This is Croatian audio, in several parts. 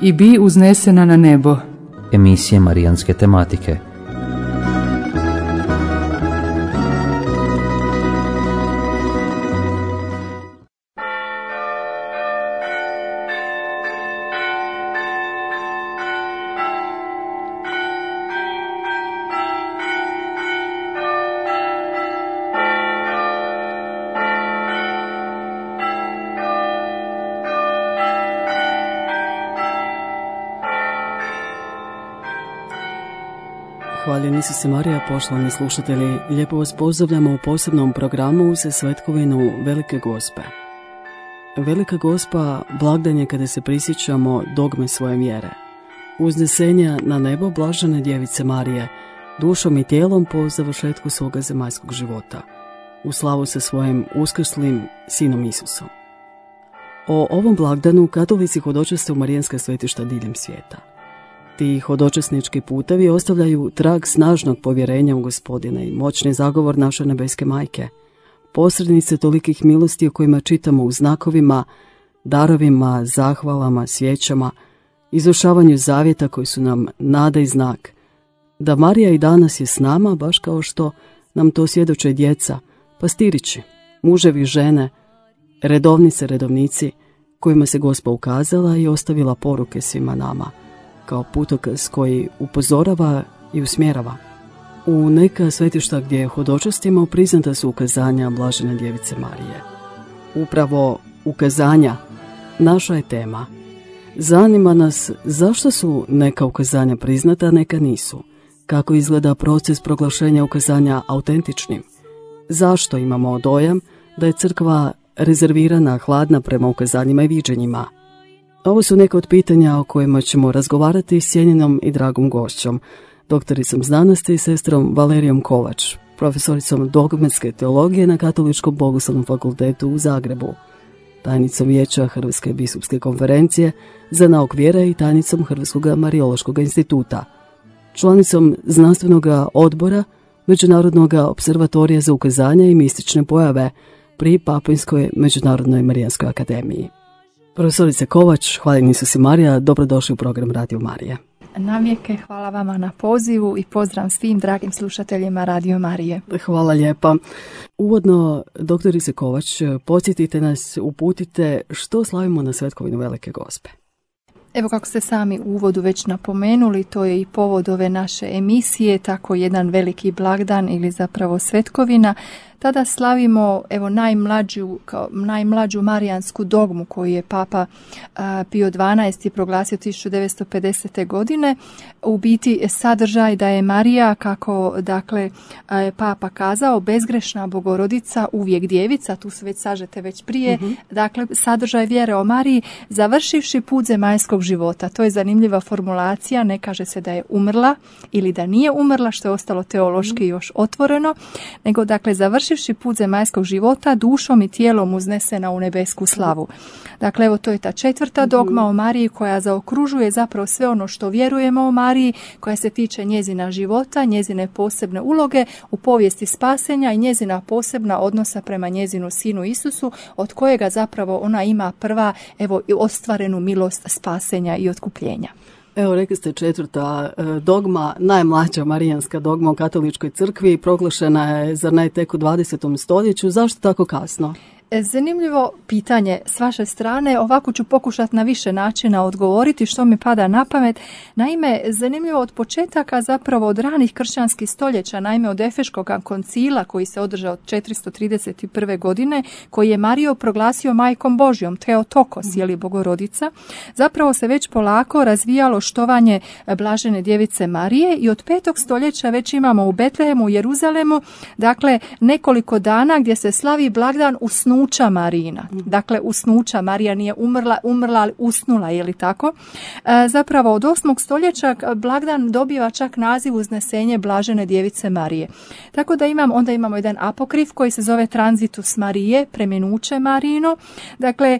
i bi uznesena na nebo. Emisije marijanske tematike. Hvaljeni su se Marija, poštovani slušatelji, lijepo vas pozdravljamo u posebnom programu za svetkovinu Velike Gospe. Velika Gospa blagdan je kada se prisjećamo dogme svoje vjere. Uznesenja na nebo blažene djevice Marije, dušom i tijelom po završetku svoga zemaljskog života, u slavu sa svojim uskrslim sinom Isusom. O ovom blagdanu katolici hodočaste u marijanska svetišta diljem svijeta. Ti hodočasnički putevi ostavljaju trag snažnog povjerenja u Gospodina i moćni zagovor naše nebeske majke, posrednice tolikih milosti o kojima čitamo u znakovima, darovima, zahvalama, svijećama, izvršavanju zavjeta koji su nam nada i znak, da Marija i danas je s nama, baš kao što nam to svjedoče djeca, pastirići, muževi, žene, redovnice, redovnici, kojima se Gospa ukazala i ostavila poruke svima nama, kao putokaz koji upozorava i usmjerava. U neka svetišta gdje hodočastimo priznata su ukazanja blažene djevice Marije. Upravo ukazanja naša je tema. Zanima nas zašto su neka ukazanja priznata, a neka nisu. Kako izgleda proces proglašenja ukazanja autentičnim? Zašto imamo dojam da je crkva rezervirana, hladna prema ukazanjima i viđenjima? Ovo su neka od pitanja o kojima ćemo razgovarati s cijenjenom i dragom gošćom, doktoricom znanosti i sestrom Valerijom Kovač, profesoricom dogmatske teologije na Katoličkom bogoslovnom fakultetu u Zagrebu, tajnicom vijeća Hrvatske biskupske konferencije za nauk vjere i tajnicom Hrvatskog Marijološkog instituta, članicom znanstvenog odbora Međunarodnog observatorija za ukazanja i mistične pojave pri Papinskoj međunarodnoj marijanskoj akademiji. Profesorice Kovač, hvaljeni su si Marija, dobrodošli u program Radio Marije. Navijeke, hvala vama na pozivu i pozdrav svim dragim slušateljima Radio Marije. Hvala lijepa. Uvodno, doktorice Kovač, podsjetite nas, uputite što slavimo na svetkovinu Velike Gospe. Evo, kako ste sami u uvodu već napomenuli, to je i povod ove naše emisije, tako jedan veliki blagdan ili zapravo svetkovina. Tada slavimo najmlađu marijansku dogmu koju je Papa Pio XII proglasio 1950. godine. U biti sadržaj da je Marija, kako dakle je Papa kazao, bezgrešna Bogorodica, uvijek djevica, tu su već sažete već prije, dakle sadržaj vjere o Mariji, završivši put zemaljskog života. To je zanimljiva formulacija, ne kaže se da je umrla ili da nije umrla, što je ostalo teološki još otvoreno, nego dakle završivši put zemaljskog života, dušom i tijelom uznesena u nebesku slavu. Dakle, evo, to je ta četvrta dogma o Mariji koja zaokružuje zapravo sve ono što vjerujemo o Mariji, koja se tiče njezina života, njezine posebne uloge u povijesti spasenja i njezina posebna odnosa prema njezinu sinu Isusu, od kojega zapravo ona ima prva, evo, ostvarenu milost spasenja i otkupljenja. Evo, rekli ste četvrta dogma, najmlađa marijanska dogma u katoličkoj crkvi, proglašena je, zar ne, tek u 20. stoljeću. Zašto tako kasno? Zanimljivo pitanje s vaše strane, ovako ću pokušati na više načina odgovoriti što mi pada na pamet. Naime, zanimljivo od početaka, zapravo od ranih kršćanskih stoljeća, naime od Efeškog koncila koji se održao od 431. godine, koji je Mariju proglasio majkom Božjom, Theotokos, jeli Bogorodica, zapravo se već polako razvijalo štovanje blažene djevice Marije i od 5. stoljeća već imamo u Betlehemu, u Jeruzalemu, dakle nekoliko dana gdje se slavi blagdan usnuća Marijina. Dakle, usnuća, Marija nije umrla, ali usnula, je li tako? Zapravo od 8. stoljeća blagdan dobiva čak naziv uznesenje blažene djevice Marije. Tako da onda imamo jedan apokrif koji se zove Transitus Marije, preminuće Marijino. Dakle,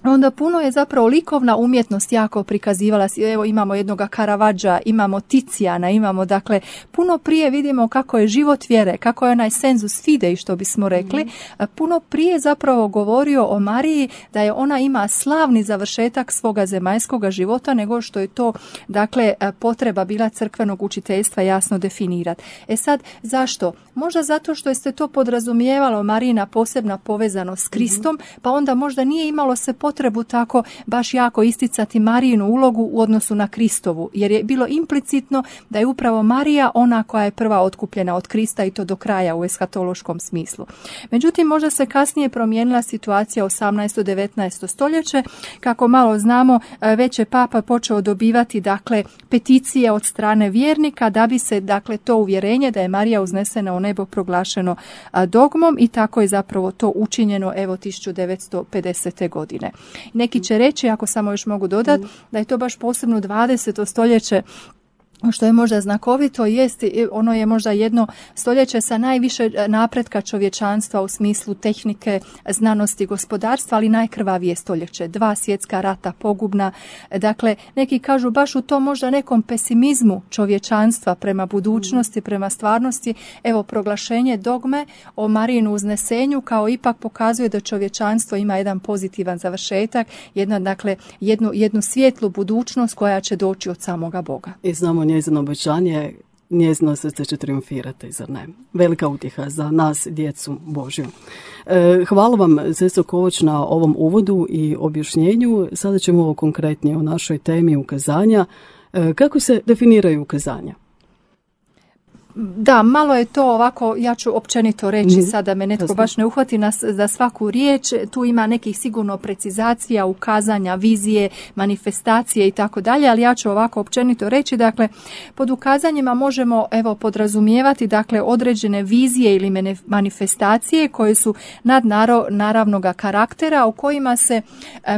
Onda puno je zapravo likovna umjetnost jako prikazivala. Evo imamo jednoga Karavadža, imamo Ticijana, imamo dakle puno prije vidimo kako je život vjere, kako je onaj sensus fidei što bismo rekli. Puno prije zapravo govorio o Mariji da je ona ima slavni završetak svoga zemaljskoga života nego što je to dakle potreba bila crkvenog učiteljstva jasno definirati. Sad zašto? Možda zato što ste to podrazumijevalo Marijina posebna povezanost s Kristom, pa onda možda nije imalo se potrebu tako baš jako isticati Marijinu ulogu u odnosu na Kristovu, jer je bilo implicitno da je upravo Marija ona koja je prva otkupljena od Krista i to do kraja u eskatološkom smislu. Međutim, možda se kasnije promijenila situacija 18. 19. stoljeće, kako malo znamo, već je Papa počeo dobivati dakle peticije od strane vjernika da bi se dakle to uvjerenje da je Marija uznesena u nebo proglašeno dogmom i tako je zapravo to učinjeno evo 1950. godine. Neki će reći, ako samo još mogu dodati, da je to baš posebno 20. stoljeće što je možda znakovito, ono je možda jedno stoljeće sa najviše napretka čovječanstva u smislu tehnike, znanosti, gospodarstva, ali najkrvavije stoljeće. 2 svjetska rata pogubna. Dakle, neki kažu baš u tom možda nekom pesimizmu čovječanstva prema budućnosti, prema stvarnosti. Evo, proglašenje dogme o Marijinu uznesenju kao ipak pokazuje da čovječanstvo ima jedan pozitivan završetak, jednu svijetlu budućnost koja će doći od samoga Boga. I znamo njezino obećanje, njezino srce će triumfirati, zar ne? Velika utjeha za nas, djecu Božju. Hvala vam, sestro Kovač, na ovom uvodu i objašnjenju. Sada ćemo ovo konkretnije o našoj temi ukazanja. Kako se definiraju ukazanja? Da, malo je to ovako, ja ću općenito reći sada me netko baš ne uhvati za svaku riječ, tu ima nekih sigurno precizacija, ukazanja, vizije, manifestacije i tako dalje, ali ja ću ovako općenito reći, dakle, pod ukazanjima možemo podrazumijevati dakle određene vizije ili manifestacije koje su nadnaravnoga karaktera u kojima se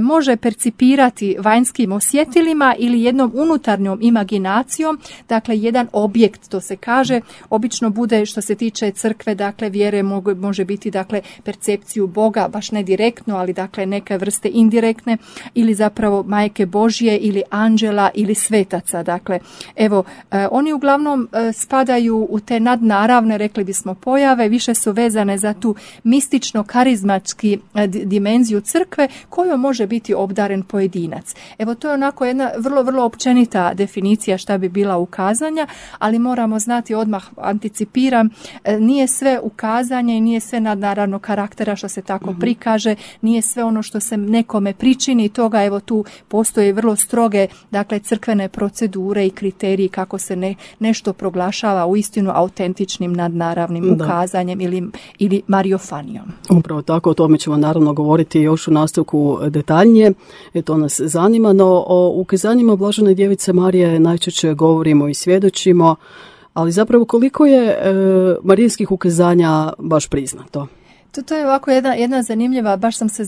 može percipirati vanjskim osjetilima ili jednom unutarnjom imaginacijom, dakle jedan objekt, to se kaže. Obično bude što se tiče crkve, dakle vjere može biti dakle percepciju Boga, baš ne direktno, ali dakle neke vrste indirektne ili zapravo Majke Božje ili anđela ili svetaca. Dakle, evo, oni uglavnom spadaju u te nadnaravne, rekli bismo, pojave, više su vezane za tu mistično-karizmatski dimenziju crkve kojom može biti obdaren pojedinac. Evo, to je onako jedna vrlo, vrlo općenita definicija šta bi bila ukazanja, ali moramo znati odmah anticipiram, nije sve ukazanje i nije sve nadnaravno karaktera što se tako prikaže, nije sve ono što se nekome pričini, toga evo tu postoje vrlo stroge dakle crkvene procedure i kriteriji kako se nešto proglašava uistinu autentičnim nadnaravnim ukazanjem ili mariofanijom. Upravo tako, o tome ćemo naravno govoriti još u nastavku detaljnije, to nas zanima, no o ukazanjima Blažene Djevice Marije najčešće govorimo i svjedočimo, ali zapravo koliko je marijinskih ukazanja baš priznato? To je ovako jedna zanimljiva, baš sam se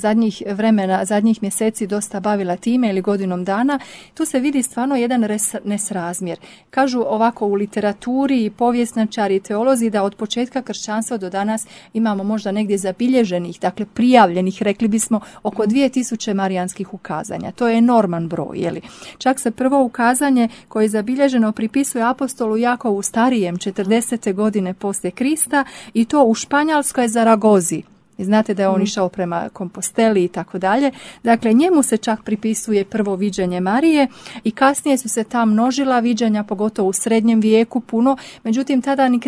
zadnjih mjeseci dosta bavila time ili godinom dana. Tu se vidi stvarno jedan nesrazmjer. Kažu ovako u literaturi i povjesničari i teolozi da od početka kršćanstva do danas imamo možda negdje zabilježenih, dakle prijavljenih, rekli bismo, oko 2000 marijanskih ukazanja. To je enorman broj, jeli? Čak se prvo ukazanje koje je zabilježeno pripisuje apostolu Jakovu Starijem 40. godine poslije Krista i to u Španjolskoj Zaragozi. I znate da je on išao prema Komposteli i tako dalje. Dakle, njemu se čak pripisuje prvo viđenje Marije i kasnije su se ta množila viđenja, pogotovo u srednjem vijeku puno. Međutim, tada ni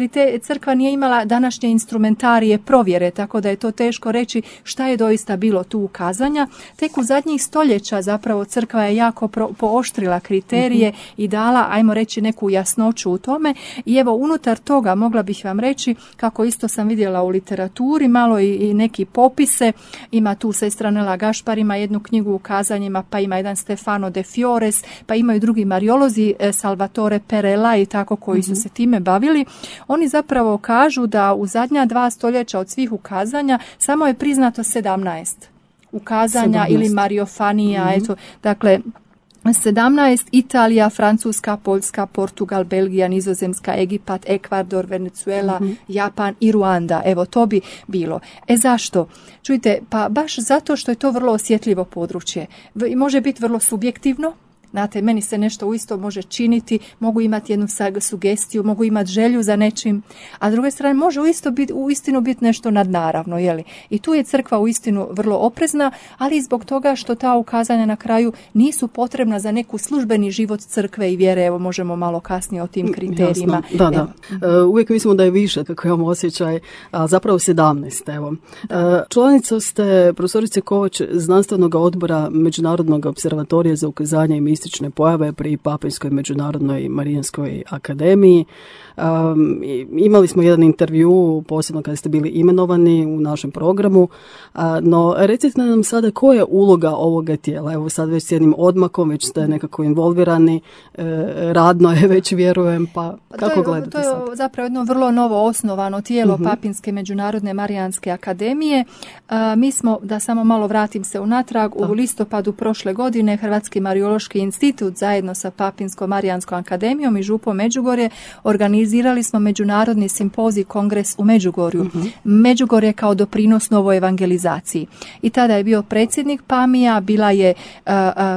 crkva nije imala današnje instrumentarije provjere, tako da je to teško reći šta je doista bilo tu ukazanja. Tek u zadnjih stoljeća zapravo crkva je jako pooštrila kriterije i dala, ajmo reći, neku jasnoću u tome. I evo, unutar toga mogla bih vam reći, kako isto sam vidjela u literaturi, malo i neki popise, ima tu sestra Nela Gašpar, ima jednu knjigu ukazanjima, pa ima jedan Stefano de Fiores, pa imaju drugi mariolozi, Salvatore Perella i tako, koji su se time bavili. Oni zapravo kažu da u zadnja 2 stoljeća od svih ukazanja samo je priznato 17 ukazanja ili mariofanija, eto, dakle, 17 Italija, Francuska, Poljska, Portugal, Belgija, Nizozemska, Egipat, Ekvador, Venezuela, Japan i Ruanda. Evo, to bi bilo. Zašto? Čujte, pa baš zato što je to vrlo osjetljivo područje. Može biti vrlo subjektivno. Znate, meni se nešto uisto može činiti, mogu imati jednu sugestiju, mogu imati želju za nečim, a s druge strane može uistinu biti nešto nadnaravno, je li? I tu je crkva uistinu vrlo oprezna, ali i zbog toga što ta ukazanja na kraju nisu potrebna za neku službeni život crkve i vjere. Evo, možemo malo kasnije o tim kriterijima. Jasno, da. Uvijek mislimo da je više, kako imamo osjećaj, a zapravo 17. Evo. Članica ste, profesorice Kovač, znanstvenog odbora Međunarodnog observatorija za ukazanje i mistične pojave pri Papinskoj međunarodnoj Marijanskoj akademiji. Imali smo jedan intervju, posebno kada ste bili imenovani u našem programu, no recite nam sada koja je uloga ovoga tijela. Evo sad već s jednim odmakom, već ste nekako involvirani, radno je već, vjerujem, pa kako gledate sad? To je zapravo jedno vrlo novo osnovano tijelo Papinske međunarodne Marijanske akademije. Mi smo, da samo malo vratim se unatrag, u listopadu prošle godine Hrvatski Marijološki institut zajedno sa Papinskom Marijanskom akademijom i župom Međugorje organizirali smo međunarodni simpozij kongres u Međugorju. Međugorje kao doprinos novoj evangelizaciji. I tada je bio predsjednik PAMI-a, bila je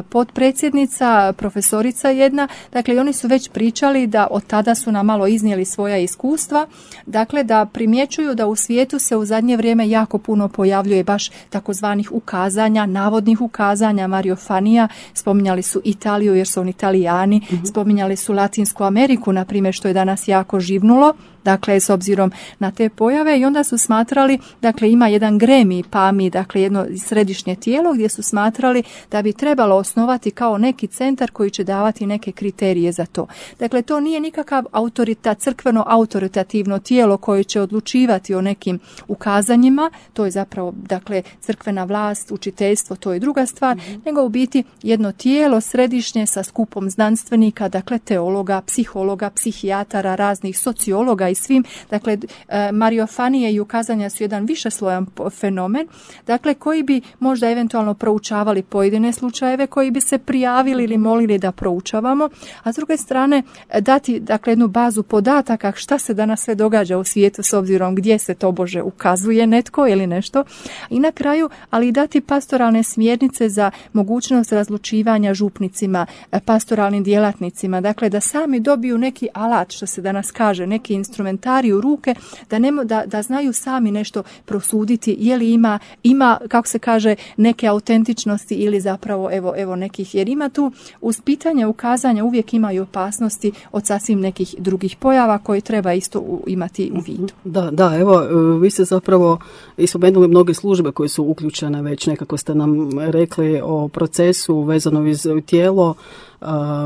potpredsjednica, profesorica jedna. Dakle, i oni su već pričali da od tada su nam malo iznijeli svoja iskustva. Dakle, da primjećuju da u svijetu se u zadnje vrijeme jako puno pojavljuje baš takozvanih ukazanja, navodnih ukazanja, mariofanija. Spominjali su Italiju jer su oni Italijani, spominjali su Latinsku Ameriku, na primjer, što je danas jako živnulo, dakle, s obzirom na te pojave, i onda su smatrali, dakle, ima jedan gremij PAMI, dakle, jedno središnje tijelo gdje su smatrali da bi trebalo osnovati kao neki centar koji će davati neke kriterije za to. Dakle, to nije nikakav crkveno autoritativno tijelo koje će odlučivati o nekim ukazanjima, to je zapravo, dakle, crkvena vlast, učiteljstvo, to je druga stvar, nego u biti jedno tijelo središnje sa skupom znanstvenika, dakle, teologa, psihologa, psihijatara, raznih sociologa i svim. Dakle, mariofanije i ukazanja su jedan višeslojan fenomen, dakle, koji bi možda eventualno proučavali pojedine slučajeve, koji bi se prijavili ili molili da proučavamo, a s druge strane dati, dakle, jednu bazu podataka šta se danas sve događa u svijetu s obzirom gdje se tobože ukazuje netko ili nešto. I na kraju, ali dati pastoralne smjernice za mogućnost razlučivanja župnicima, pastoralnim djelatnicima, dakle, da sami dobiju neki alat, što se danas kaže, neki instrumentarij u ruke, da znaju sami nešto prosuditi, je li ima, kako se kaže, neke autentičnosti ili zapravo evo nekih, jer ima tu uz pitanje ukazanja uvijek imaju opasnosti od sasvim nekih drugih pojava koje treba isto imati u vidu. Da, evo, vi ste zapravo ispomenuli mnoge službe koje su uključene već, nekako ste nam rekli o procesu vezano iz tijelo.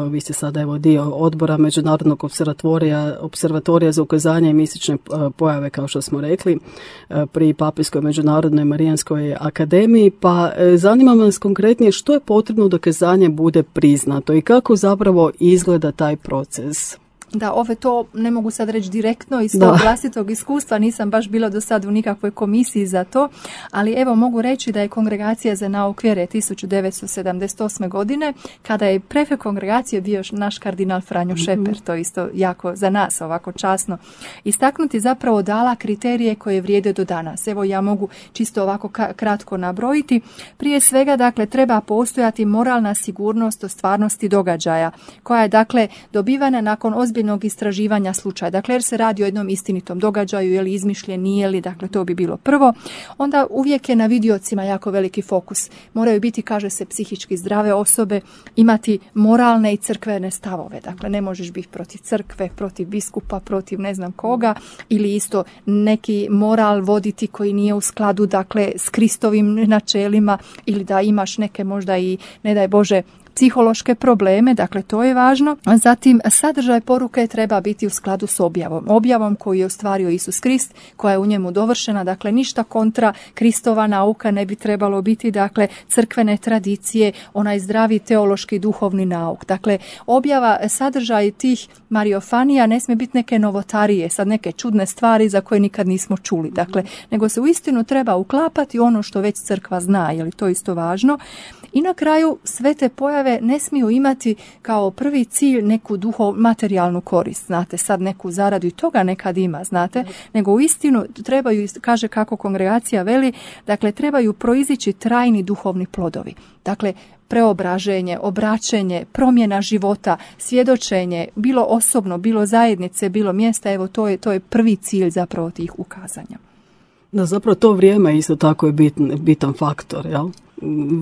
Vi ste sada evo dio odbora Međunarodnog observatorija za ukazanje i mistične pojave, kao što smo rekli, pri Papinskoj međunarodnoj Marijanskoj akademiji, pa zanima nas konkretnije što je potrebno da ukazanje bude priznato i kako zapravo izgleda taj proces. Da, to ne mogu sad reći direktno iz svog vlastitog iskustva, nisam baš bila do sad u nikakvoj komisiji za to, ali evo mogu reći da je Kongregacija za nauk vjere 1978. godine, kada je prefekt kongregacije bio naš kardinal Franjo Šeper, to isto jako za nas ovako časno istaknuti, zapravo dala kriterije koje vrijede do danas. Evo ja mogu čisto ovako kratko nabrojiti. Prije svega, dakle, treba postojati moralna sigurnost o stvarnosti događaja, koja je, dakle, dobivana nakon ozbiljnog istraživanja slučaja. Dakle, jer se radi o jednom istinitom događaju, je li izmišljen, nije li, dakle, to bi bilo prvo. Onda uvijek je na vidiocima jako veliki fokus. Moraju biti, kaže se, psihički zdrave osobe, imati moralne i crkvene stavove. Dakle, ne možeš biti protiv crkve, protiv biskupa, protiv ne znam koga, ili isto neki moral voditi koji nije u skladu, dakle, s Kristovim načelima, ili da imaš neke možda i, ne daj Bože, psihološke probleme, dakle to je važno. Zatim, sadržaj poruke treba biti u skladu s objavom koju je ostvario Isus Krist, koja je u njemu dovršena, dakle ništa kontra Kristova nauka ne bi trebalo biti, dakle crkvene tradicije, onaj zdravi teološki duhovni nauk. Dakle, objava, sadržaj tih mariofanija ne smije biti neke novotarije, sad neke čudne stvari za koje nikad nismo čuli, dakle, nego se uistinu treba uklapati ono što već crkva zna, je li to isto važno. I na kraju sve te pojave pojave ne smiju imati kao prvi cilj neku materijalnu korist, znate, sad neku zaradu i toga nekad ima, znate, nego uistinu trebaju, kaže kako kongregacija veli, dakle trebaju proizići trajni duhovni plodovi. Dakle, preobraženje, obraćenje, promjena života, svjedočenje, bilo osobno, bilo zajednice, bilo mjesta, evo to je prvi cilj zapravo tih ukazanja. Da, zapravo to vrijeme isto tako je bitan faktor, jel?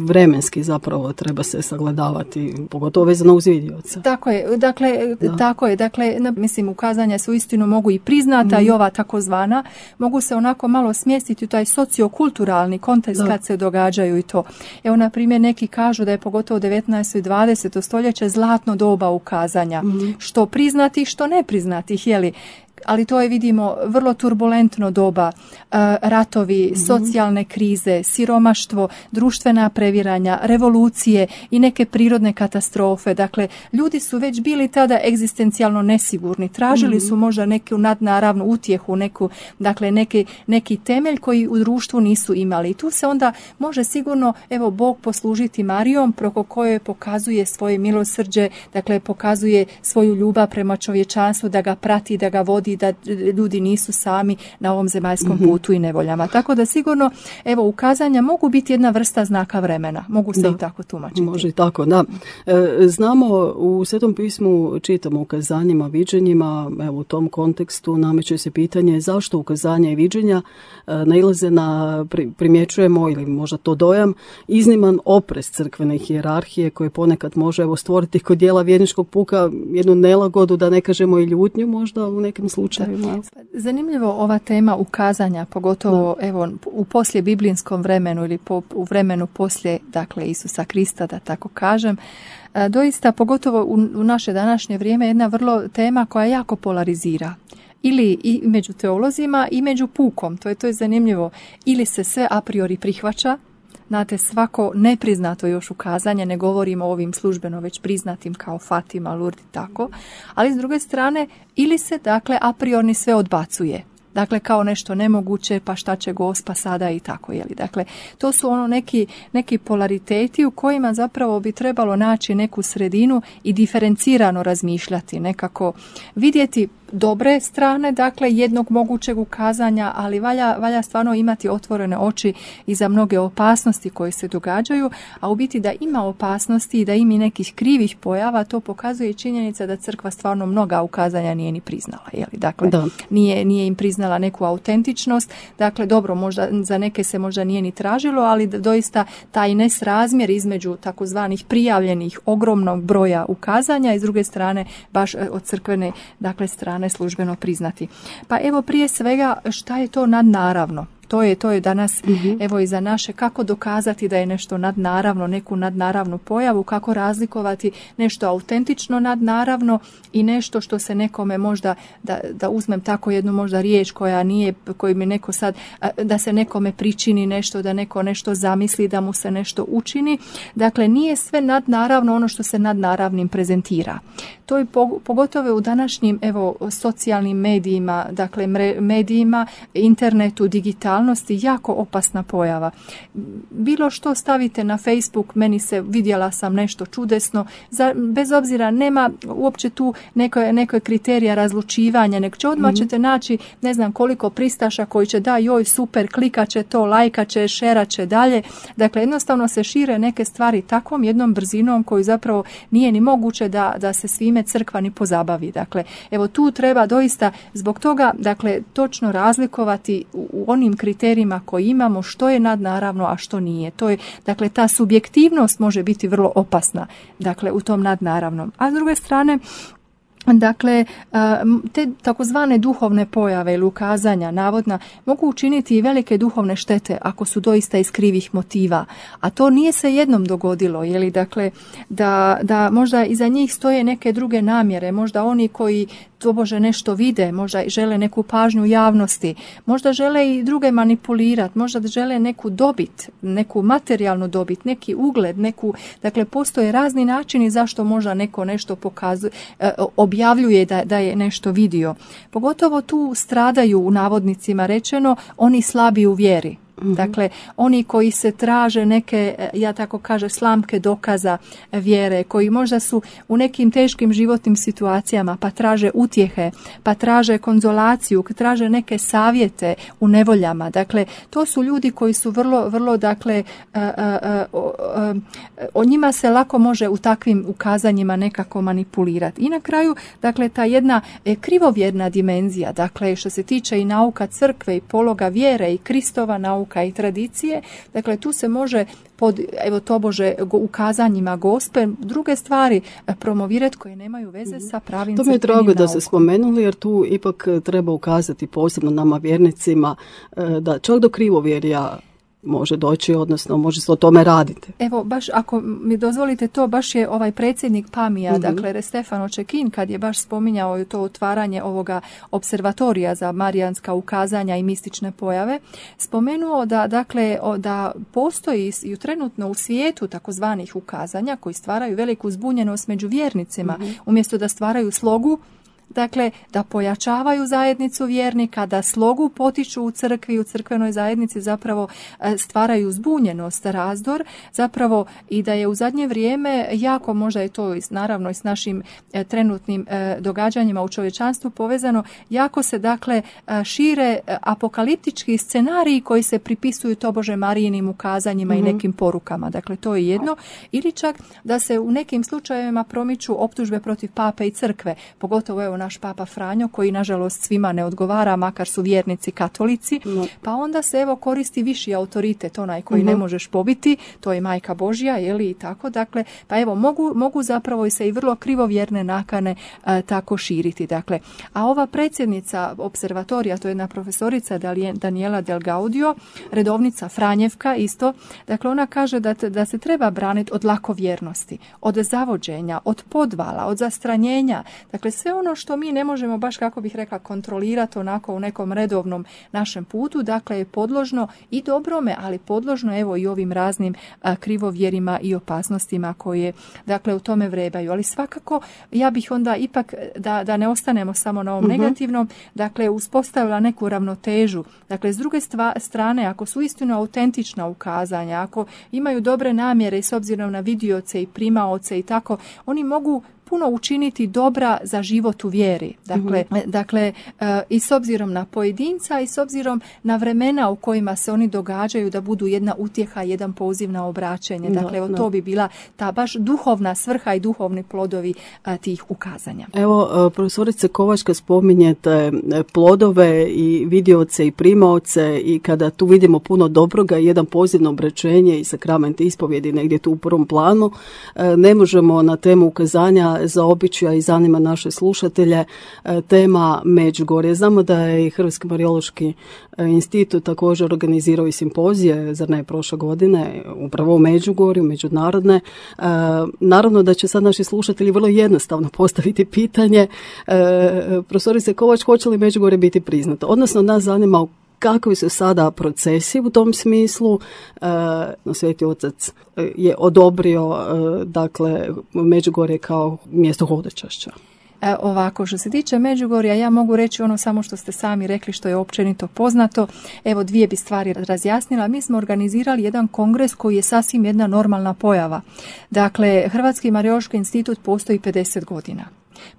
Vremenski zapravo treba se sagledavati, pogotovo vezano uz vidioca. Tako je, dakle, mislim, ukazanja se uistinu mogu i priznata i ova takozvana, mogu se onako malo smjestiti u taj sociokulturalni kontekst kad se događaju i to. Evo, na primjer, neki kažu da je pogotovo 19. i 20. stoljeće zlatno doba ukazanja, što priznati, što ne priznati, jeli. Ali to je, vidimo, vrlo turbulentno doba, ratovi, socijalne krize, siromaštvo, društvena previranja, revolucije i neke prirodne katastrofe. Dakle, ljudi su već bili tada egzistencijalno nesigurni, tražili su možda neku nadnaravnu utjehu, neki temelj koji u društvu nisu imali. I tu se onda može sigurno, evo, Bog poslužiti Marijom, preko koje pokazuje svoje milosrđe, dakle, pokazuje svoju ljubav prema čovječanstvu, da ga prati, da ga vodi, da ljudi nisu sami na ovom zemaljskom putu i nevoljama. Tako da sigurno, evo, ukazanja mogu biti jedna vrsta znaka vremena. Mogu se i tako tumačiti. Može i tako, da. Znamo, u Svetom pismu čitamo ukazanjima, viđenjima, evo, u tom kontekstu nameće se pitanje zašto ukazanja i viđenja nailaze na, primjećujemo, ili možda to dojam, izniman oprez crkvene hijerarhije koje ponekad može, evo, stvoriti kod dijela vjerničkog puka jednu nelagodu, da ne kažemo i ljutnju možda u nekim slučajevima. Zanimljivo ova tema ukazanja, pogotovo evo u poslije biblijskom vremenu ili u vremenu poslije, dakle, Isusa Krista, da tako kažem. Doista, pogotovo u naše današnje vrijeme, jedna vrlo tema koja jako polarizira. Ili i među teolozima i među pukom, to je zanimljivo. Ili se sve a priori prihvaća, znate, svako nepriznato još ukazanje, ne govorimo o ovim službeno već priznatim kao Fatima, Lourdes i tako, ali s druge strane ili se, dakle, a priori sve odbacuje. Dakle, kao nešto nemoguće, pa šta će Gospa sada i tako, jeli. Dakle, to su neki polariteti u kojima zapravo bi trebalo naći neku sredinu i diferencirano razmišljati, nekako vidjeti dobre strane, dakle, jednog mogućeg ukazanja, ali valja stvarno imati otvorene oči i za mnoge opasnosti koje se događaju, a u biti da ima opasnosti i da ima nekih krivih pojava, to pokazuje i činjenica da crkva stvarno mnoga ukazanja nije ni priznala, jeli? Dakle, nije im priznala neku autentičnost, dakle, dobro, možda za neke se možda nije ni tražilo, ali doista taj nesrazmjer između takozvanih prijavljenih ogromnog broja ukazanja i s druge strane baš od crkvene, dakle, strane službeno priznati. Pa evo, prije svega, šta je to nadnaravno? To je danas, evo, i za naše, kako dokazati da je nešto nadnaravno, neku nadnaravnu pojavu, kako razlikovati nešto autentično nadnaravno i nešto što se nekome možda, da uzmem tako jednu možda riječ koju mi neko sad, da se nekome pričini nešto, da neko nešto zamisli, da mu se nešto učini. Dakle, nije sve nadnaravno ono što se nadnaravnim prezentira. To je pogotovo u današnjim, evo, socijalnim medijima, dakle, medijima, internetu, digitalnosti, jako opasna pojava. Bilo što stavite na Facebook, vidjela sam nešto čudesno, bez obzira, nema uopće tu nekoj kriterija razlučivanja, nego će odmah ćete naći ne znam koliko pristaša koji će joj super, klikat će to, lajkat će, šerat će dalje. Dakle, jednostavno se šire neke stvari takvom jednom brzinom koju zapravo nije ni moguće da se svime crkva ni pozabavi. Dakle, evo, tu treba doista zbog toga, dakle, točno razlikovati u onim kriterijima koji imamo što je nadnaravno, a što nije. To je, dakle, ta subjektivnost može biti vrlo opasna, dakle, u tom nadnaravnom. A s druge strane, dakle, te takozvane duhovne pojave ili ukazanja navodna mogu učiniti i velike duhovne štete ako su doista iz krivih motiva, a to nije se jednom dogodilo, jeli, dakle, da možda iza njih stoje neke druge namjere, možda oni koji tobože nešto vide, možda žele neku pažnju javnosti, možda žele i druge manipulirati, možda žele neku dobit, neku materijalnu dobit, neki ugled, dakle, postoje razni načini zašto možda neko nešto pokazuje, objavljuje da je nešto vidio. Pogotovo tu stradaju, u navodnicima rečeno, oni slabi u vjeri. Dakle, oni koji se traže neke, ja tako kažem, slamke dokaza vjere, koji možda su u nekim teškim životnim situacijama, pa traže utjehe, pa traže konzolaciju, traže neke savjete u nevoljama. Dakle, to su ljudi koji su vrlo, dakle, o njima se lako može u takvim ukazanjima nekako manipulirati. I na kraju, dakle, ta jedna krivovjerna dimenzija, dakle, što se tiče i nauka crkve i pologa vjere i Kristova nauka i tradicije, dakle, tu se može pod, evo, tobože ukazanjima Gospe druge stvari promovirati koje nemaju veze sa pravim crkvenim naukom. To mi je drago da ste spomenuli, jer tu ipak treba ukazati posebno nama vjernicima da čak do krivovjerja može doći, odnosno može se o tome raditi. Evo, baš ako mi dozvolite to, baš je ovaj predsjednik PAMI-a, dakle Stefano Cecchin, kad je baš spominjao to otvaranje ovoga observatorija za marijanska ukazanja i mistične pojave, spomenuo da, dakle, da postoji i trenutno u svijetu takozvanih ukazanja koji stvaraju veliku zbunjenost među vjernicima, umjesto da stvaraju slogu, dakle, da pojačavaju zajednicu vjernika, da slogu potiču u crkvi, u crkvenoj zajednici, zapravo stvaraju zbunjenost, razdor, zapravo i da je u zadnje vrijeme jako, možda je to naravno i s našim trenutnim događanjima u čovječanstvu povezano, jako se, dakle, šire apokaliptički scenariji koji se pripisuju tobože Marijinim ukazanjima i nekim porukama. Dakle, to je jedno. Ili čak da se u nekim slučajevima promiču optužbe protiv pape i crkve, pogotovo evo naš papa Franjo, koji nažalost svima ne odgovara, makar su vjernici katolici, pa onda se evo koristi viši autoritet, onaj koji ne možeš pobiti, to je Majka Božja, jeli, i tako, dakle, pa evo mogu zapravo i se i vrlo krivovjerne nakane tako širiti, dakle. A ova predsjednica observatorija, to je jedna profesorica Daniela Del Gaudio, redovnica Franjevka isto, dakle, ona kaže da se treba braniti od lakovjernosti, od zavođenja, od podvala, od zastranjenja, dakle, sve ono što mi ne možemo baš, kako bih rekla, kontrolirati onako u nekom redovnom našem putu, dakle, je podložno i dobrome, ali podložno evo i ovim raznim krivovjerima i opasnostima koje, dakle, u tome vrebaju. Ali svakako ja bih onda ipak, da ne ostanemo samo na ovom negativnom, dakle, uspostavila neku ravnotežu. Dakle, s druge strane, ako su istinu autentična ukazanja, ako imaju dobre namjere i s obzirom na vidioce i primaoce i tako, oni mogu puno učiniti dobra za život u vjeri. Dakle, i s obzirom na pojedinca i s obzirom na vremena u kojima se oni događaju, da budu jedna utjeha, jedan poziv na obraćanje. Dakle, evo, to bi bila ta baš duhovna svrha i duhovni plodovi tih ukazanja. Evo, profesorice Kovačka, spominjete plodove i vidioce i primaoce, i kada tu vidimo puno dobroga i jedan poziv na obraćenje i sakrament ispovjedi negdje tu u prvom planu, ne možemo na temu ukazanja zaobići, a i zanima naše slušatelje, tema Međugorje. Znamo da je i Hrvatski Marijološki institut također organizirao i simpozije, zar ne, prošle godine, upravo u Međugorju, međunarodne. Naravno da će sad naši slušatelji vrlo jednostavno postaviti pitanje, profesorice Kovač, hoće li Međugorje biti priznato? Odnosno, nas zanima kakvi su sada procesi u tom smislu. Sveti Otac je odobrio, dakle, Međugorje kao mjesto hodočašća. Ovako, što se tiče Međugorja, ja mogu reći ono samo što ste sami rekli, što je općenito poznato. Evo, dvije bi stvari razjasnila. Mi smo organizirali jedan kongres koji je sasvim jedna normalna pojava. Dakle, Hrvatski Marijološki institut postoji 50 godina.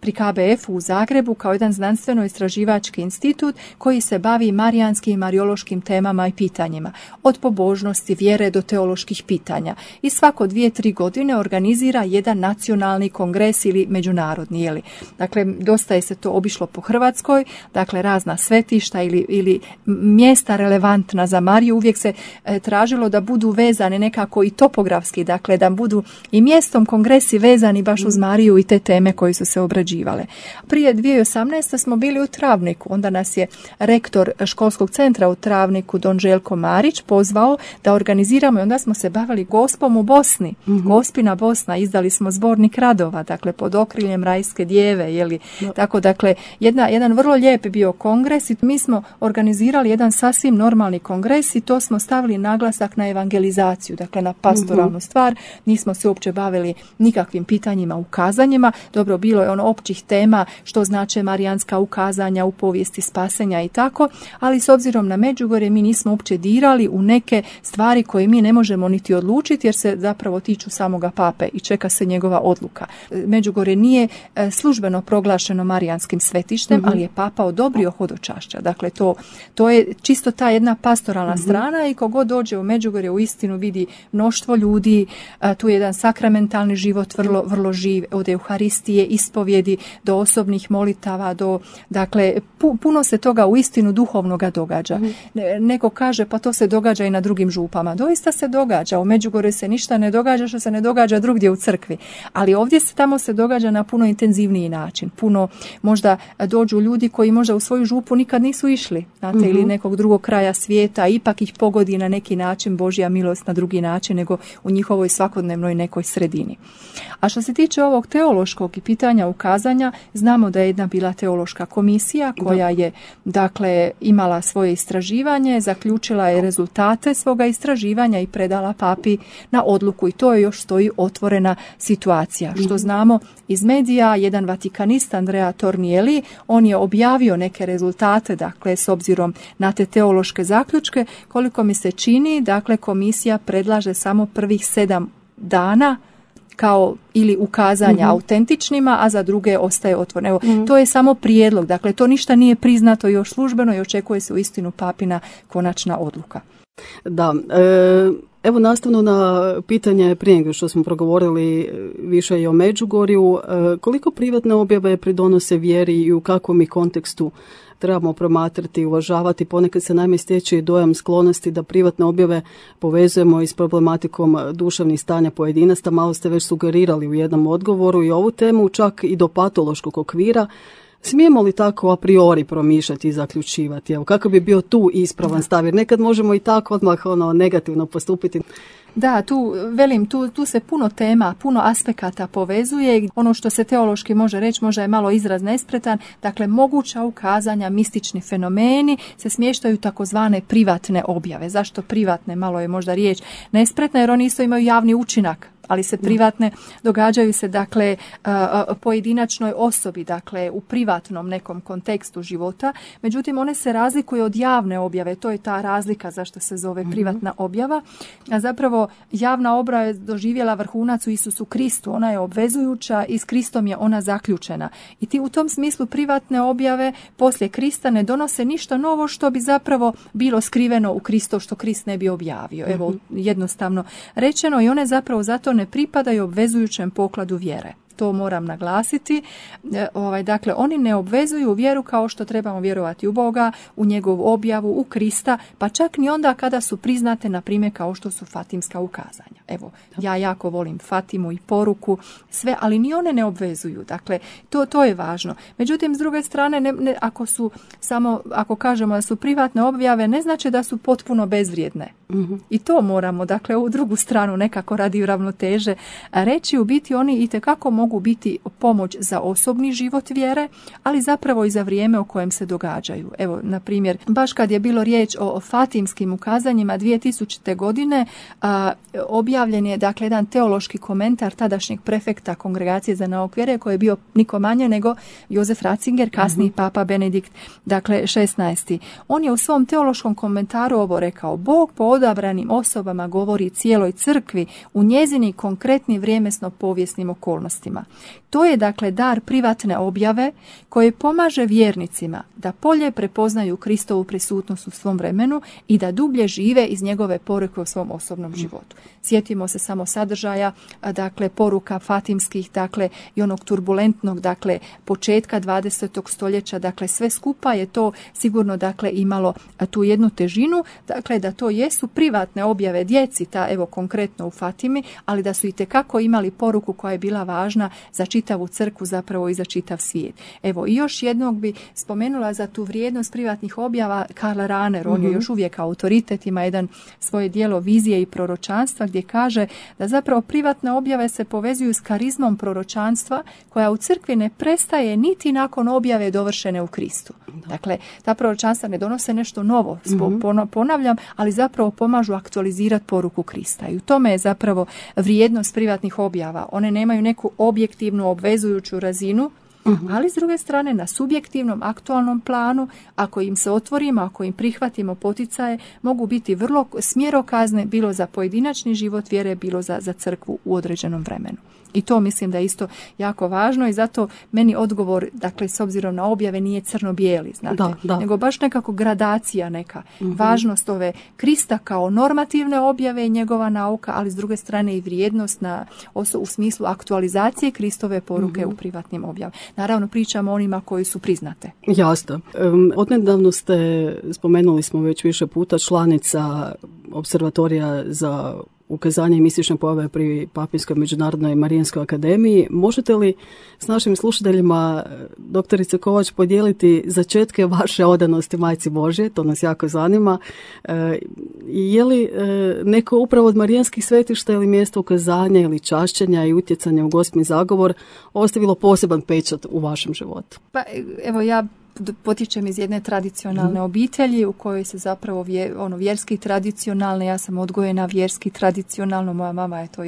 Pri KBF-u u Zagrebu kao jedan znanstveno-istraživački institut koji se bavi marijanskim i marijološkim temama i pitanjima. Od pobožnosti, vjere do teoloških pitanja. I svako 2-3 godine organizira jedan nacionalni kongres ili međunarodni. Jeli. Dakle, dosta je se to obišlo po Hrvatskoj, dakle, razna svetišta ili mjesta relevantna za Mariju. Uvijek se tražilo da budu vezane nekako i topografski, dakle, da budu i mjestom kongresi vezani baš uz Mariju i te teme koji su se obrađivale. Prije 2018. smo bili u Travniku, onda nas je rektor školskog centra u Travniku, don Željko Marić, pozvao da organiziramo, i onda smo se bavili Gospom u Bosni. Gospina Bosna, izdali smo zbornik radova, dakle, pod okriljem Rajske djeve, jeli. Tako, dakle, jedan vrlo lijep bio kongres i mi smo organizirali jedan sasvim normalni kongres i to smo stavili naglasak na evangelizaciju, dakle, na pastoralnu stvar. Nismo se uopće bavili nikakvim pitanjima, ukazanjima. Dobro, bilo je ono naravno općih tema što znače marijanska ukazanja u povijesti spasenja i tako, ali s obzirom na Međugorje mi nismo uopće dirali u neke stvari koje mi ne možemo niti odlučiti jer se zapravo tiču samoga pape i čeka se njegova odluka. Međugorje nije službeno proglašeno marijanskim svetištem, ali je papa odobrio hodočašća. Dakle, to je čisto ta jedna pastoralna strana i kogod dođe u Međugorje u istinu vidi mnoštvo ljudi, tu je jedan sakramentalni život vrlo živ, od Euharistije, ispovjedi do osobnih molitava, dakle, puno se toga u istinu duhovnoga događa. Neko kaže pa to se događa i na drugim župama. Doista se događa, u Međugorju se ništa ne događa što se ne događa drugdje u crkvi, ali ovdje tamo se događa na puno intenzivniji način. Puno možda dođu ljudi koji možda u svoju župu nikad nisu išli, znate, ili nekog drugog kraja svijeta, ipak ih pogodi na neki način Božja milost na drugi način nego u njihovoj svakodnevnoj nekoj sredini. A što se tiče ovog teološkog i pitanja ukazanja, znamo da je jedna bila teološka komisija koja je dakle imala svoje istraživanje, zaključila je rezultate svoga istraživanja i predala papi na odluku i to je još stoji otvorena situacija. Što znamo iz medija, jedan vatikanist Andrea Tornielli, on je objavio neke rezultate, dakle s obzirom na te teološke zaključke, koliko mi se čini, dakle komisija predlaže samo prvih 7 dana kao ili ukazanja autentičnima, a za druge ostaje otvoreno. Evo, to je samo prijedlog, dakle to ništa nije priznato još službeno i očekuje se uistinu papina konačna odluka. Da, evo nastavno na pitanje prije nego što smo progovorili više i o Međugorju, koliko privatne objave pridonose vjeri i u kakvom ih kontekstu trebamo promatrati i uvažavati. Ponekad se naime stječe dojam sklonosti da privatne objave povezujemo i s problematikom duševnih stanja pojedinaca. Malo ste već sugerirali u jednom odgovoru i ovu temu, čak i do patološkog okvira. Smijemo li tako a priori promišljati i zaključivati? Evo, kako bi bio tu ispravan stav? Jer nekad možemo i tako odmah negativno postupiti. Da, tu se puno tema, puno aspekata povezuje. Ono što se teološki može reći, možda je malo izraz nespretan, dakle moguća ukazanja, mistični fenomeni se smještaju takozvane privatne objave. Zašto privatne? Malo je možda riječ nespretna jer oni isto imaju javni učinak, ali se privatne događaju se dakle pojedinačnoj osobi, dakle u privatnom nekom kontekstu života. Međutim, one se razlikuju od javne objave. To je ta razlika zašto se zove privatna objava. A zapravo javna objava je doživjela vrhunac u Isusu Kristu. Ona je obvezujuća i s Kristom je ona zaključena. I u tom smislu privatne objave poslije Krista ne donose ništa novo što bi zapravo bilo skriveno u Kristu što Krist ne bi objavio. Evo, jednostavno rečeno, i one zapravo zato ne pripadaju obvezujućem pokladu vjere. To moram naglasiti. Dakle, oni ne obvezuju vjeru kao što trebamo vjerovati u Boga, u njegovu objavu, u Krista, pa čak ni onda kada su priznate, na primjer, kao što su fatimska ukazanja. Evo, ja jako volim Fatimu i poruku, sve, ali ni one ne obvezuju. Dakle, to je važno. Međutim, s druge strane, ako kažemo da su privatne objave, ne znači da su potpuno bezvrijedne. I to moramo, dakle, u drugu stranu nekako radi ravnoteže reći, u biti oni itekako mogu biti pomoć za osobni život vjere, ali zapravo i za vrijeme u kojem se događaju. Evo, na primjer, baš kad je bilo riječ o fatimskim ukazanjima 2000. godine, objavljen je dakle jedan teološki komentar tadašnjeg prefekta Kongregacije za nauk vjere, koji je bio niko manje nego Josef Ratzinger, kasniji papa Benedikt, dakle 16. On je u svom teološkom komentaru ovo rekao: Bog po odabranim osobama govori cijeloj crkvi u njezini konkretni vrijednosno povijesnim okolnostima. To je dakle dar privatne objave koji pomaže vjernicima da bolje prepoznaju Kristovu prisutnost u svom vremenu i da dublje žive iz njegove poruke u svom osobnom životu. Sjetimo se samo sadržaja, dakle poruka fatimskih, dakle i onog turbulentnog, dakle početka 20. stoljeća, dakle sve skupa je to sigurno dakle imalo tu jednu težinu, dakle da to jesu privatne objave djeci, evo konkretno u Fatimi, ali da su itekako imali poruku koja je bila važna za čitavu crkvu, zapravo i za čitav svijet. Evo, i još jednog bi spomenula za tu vrijednost privatnih objava Karl Rahner, on je još uvijek autoritet, ima jedan svoje djelo Vizije i proročanstva gdje kaže da zapravo privatne objave se povezuju s karizmom proročanstva koja u crkvi ne prestaje niti nakon objave dovršene u Kristu. Dakle, ta proročanstva ne donose nešto novo, ponavljam, ali zapravo pomažu aktualizirati poruku Krista. I u tome je zapravo vrijednost privatnih objava. One nemaju neku objektivnu obvezujuću razinu, Ali s druge strane na subjektivnom, aktualnom planu, ako im se otvorimo, ako im prihvatimo poticaje, mogu biti vrlo smjerokazne bilo za pojedinačni život vjere, bilo za crkvu u određenom vremenu. I to mislim da je isto jako važno i zato meni odgovor, dakle, s obzirom na objave nije crno-bijeli, znate, nego baš nekako gradacija neka. Važnost ove Krista kao normativne objave i njegova nauka, ali s druge strane i vrijednost u smislu aktualizacije Kristove poruke u privatnim objavama. Naravno, pričamo o onima koji su priznate. Jasno. Odnedavno ste, spomenuli smo već više puta, članica Observatorija za ukazanje mistične pojave pri Papinskoj međunarodnoj Marijanskoj akademiji. Možete li s našim slušateljima, doktorice Kovač, podijeliti začetke vaše odanosti Majci Božje? To nas jako zanima. Je li neko upravo od marijanskih svetišta ili mjesto ukazanja ili čašćenja i utjecanja u Gospin zagovor ostavilo poseban pečat u vašem životu? Pa evo, ja potječem iz jedne tradicionalne obitelji u kojoj se zapravo vjerski tradicionalne, ja sam odgojena vjerski tradicionalno, moja mama je to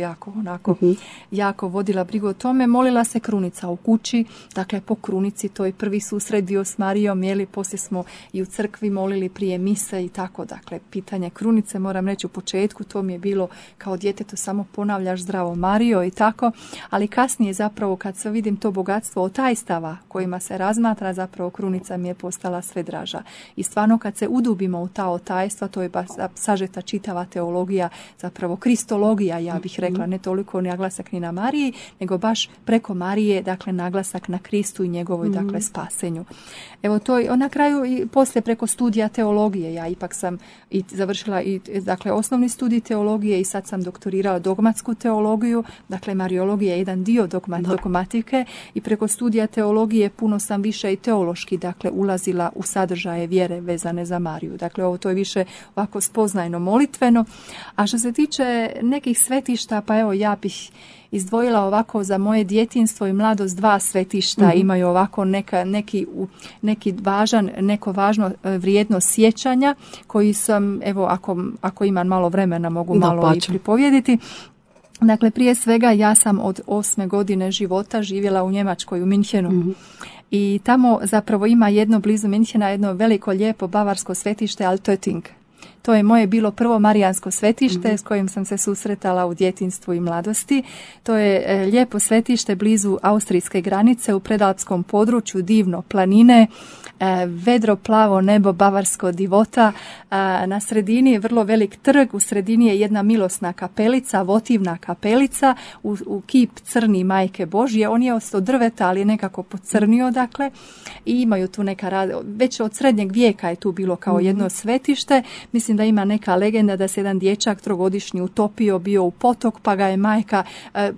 jako vodila brigu o tome. Molila se krunica u kući, dakle po krunici, to je prvi susret bio s Marijom, poslije smo i u crkvi molili prije mise i tako, dakle pitanje krunice, moram reći u početku, to mi je bilo kao djetetu samo ponavljaš zdravo Marijo i tako, ali kasnije zapravo kad se vidim to bogatstvo otajstava kojima se razmatra, zapravo krunica mi je postala sve draža. I stvarno kad se udubimo u ta otajstva, to je baš sažeta čitava teologija, zapravo kristologija, ja bih rekla, ne toliko naglasak ni na Mariji, nego baš preko Marije, dakle naglasak na Kristu i njegovoj, dakle, spasenju. Evo to je na kraju i poslije preko studija teologije, ja ipak sam i završila i dakle osnovni studij teologije i sad sam doktorirala dogmatsku teologiju, dakle mariologija je jedan dio dogmatike i preko studija teologije puno sam više i teološki, dakle ulazila u sadržaje vjere vezane za Mariju. Dakle, ovo to je više ovako spoznajno molitveno. A što se tiče nekih svetišta, pa evo ja bih izdvojila ovako za moje djetinjstvo i mladost 2 svetišta, imaju ovako neko važno vrijedno sjećanja koji sam, evo ako imam malo vremena mogu malo i pripovjediti. Dakle, prije svega ja sam od 8. godine života živjela u Njemačkoj, u Minhenu. I tamo zapravo ima blizu Minhena jedno veliko lijepo bavarsko svetište Altötting. To je moje bilo prvo marijansko svetište s kojim sam se susretala u djetinjstvu i mladosti. To je lijepo svetište blizu austrijske granice u predalpskom području, divno planine, vedro plavo nebo, bavarsko divota. Na sredini je vrlo velik trg, u sredini je jedna milosna kapelica, votivna kapelica, u kip crni Majke Božje. On je od drveta, ali je nekako pocrnio, dakle, i imaju tu već od srednjeg vijeka je tu bilo kao jedno svetište. Mislim da ima neka legenda da se jedan dječak 3-godišnji utopio, bio u potok, pa ga je majka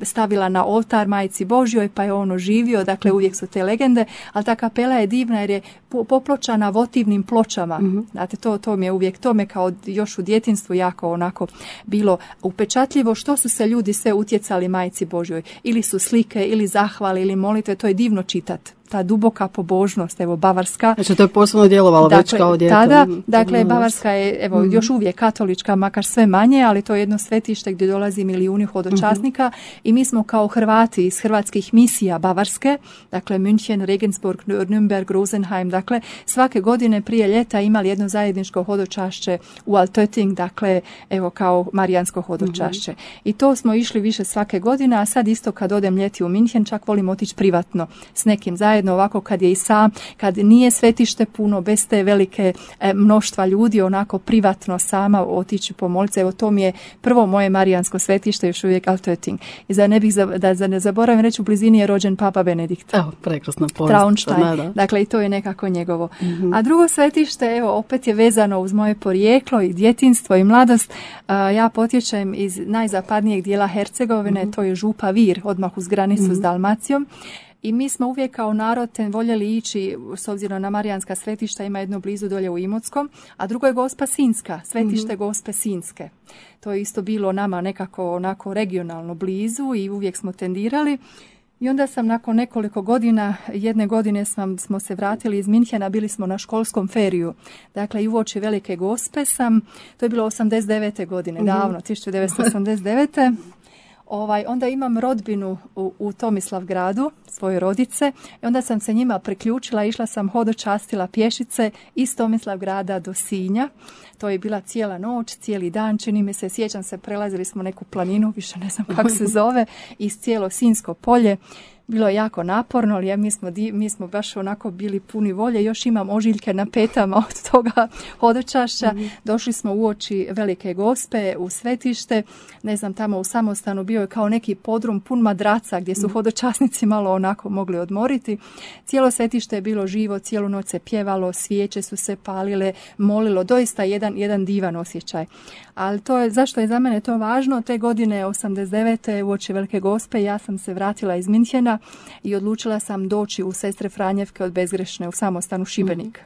stavila na oltar Majci Božjoj, pa je on oživio, dakle uvijek su te legende, ali ta kapela je divna jer je popločana votivnim pločama. Znate, to mi je uvijek, to me kao još u djetinjstvu jako onako bilo upečatljivo, što su se ljudi sve utjecali Majci Božjoj. Ili su slike, ili zahvale, ili molitve, to je divno čitati. Ta duboka pobožnost, evo bavarska. Znači to je posebno djelovalo već kao dijete. Tada, dakle, bavarska je evo još uvijek katolička, makar sve manje, ali to je jedno svetište gdje dolazi milijuni hodočasnika i mi smo kao Hrvati iz hrvatskih misija bavarske, dakle München, Regensburg, Nürnberg, Rosenheim, dakle svake godine prije ljeta imali jedno zajedničko hodočašće u Altötting, dakle evo kao marijansko hodočašće. I to smo išli više svake godine, a sad isto kad odem ljeti u München, čak volim otići privatno s nekim zajedno ovako kad je i sam, kad nije svetište puno, bez te velike mnoštva ljudi, onako privatno sama otići pomoliti. Evo to mi je prvo moje marijansko svetište, još uvijek Altötting. I da ne zaboravim reći, u blizini je rođen Papa Benedikt. Evo, prekrasna povijest. Traunstein. Dakle, i to je nekako njegovo. A drugo svetište, evo, opet je vezano uz moje porijeklo i djetinjstvo i mladost. Ja potječem iz najzapadnijeg dijela Hercegovine, to je Župa Vir, odmah uz granicu s Dalmacijom. I mi smo uvijek kao narod voljeli ići, s obzirom na marijanska svetišta, ima jedno blizu dolje u Imotskom, a drugo je Gospa Sinjska, svetište Gospe Sinjske. To je isto bilo nama nekako onako regionalno blizu i uvijek smo tendirali. I onda sam nakon nekoliko godina, jedne godine smo se vratili iz Minhena, bili smo na školskom feriju. Dakle, i uoči Velike Gospe to je bilo 89. godine, davno, 1989. Onda imam rodbinu u Tomislavgradu, svoje rodice, i onda sam se njima priključila, išla sam hodočastila pješice iz Tomislavgrada do Sinja. To je bila cijela noć, cijeli dan, čini mi se, sjećam se, prelazili smo neku planinu, više ne znam kako se zove, iz cijelo Sinjsko polje. Bilo je jako naporno, ali mi smo baš onako bili puni volje. Još imam ožiljke na petama od toga hodočašća. Došli smo uoči Velike Gospe u svetište. Ne znam, tamo u samostanu bio je kao neki podrum pun madraca gdje su hodočasnici malo onako mogli odmoriti. Cijelo svetište je bilo živo, cijelu noć se pjevalo, svijeće su se palile, molilo. Doista jedan divan osjećaj. Ali zašto je za mene to važno? Te godine 89. uoči Velike Gospe ja sam se vratila iz Minhena i odlučila sam doći u Sestre Franjevke od Bezgrešne u samostan u Šibenik.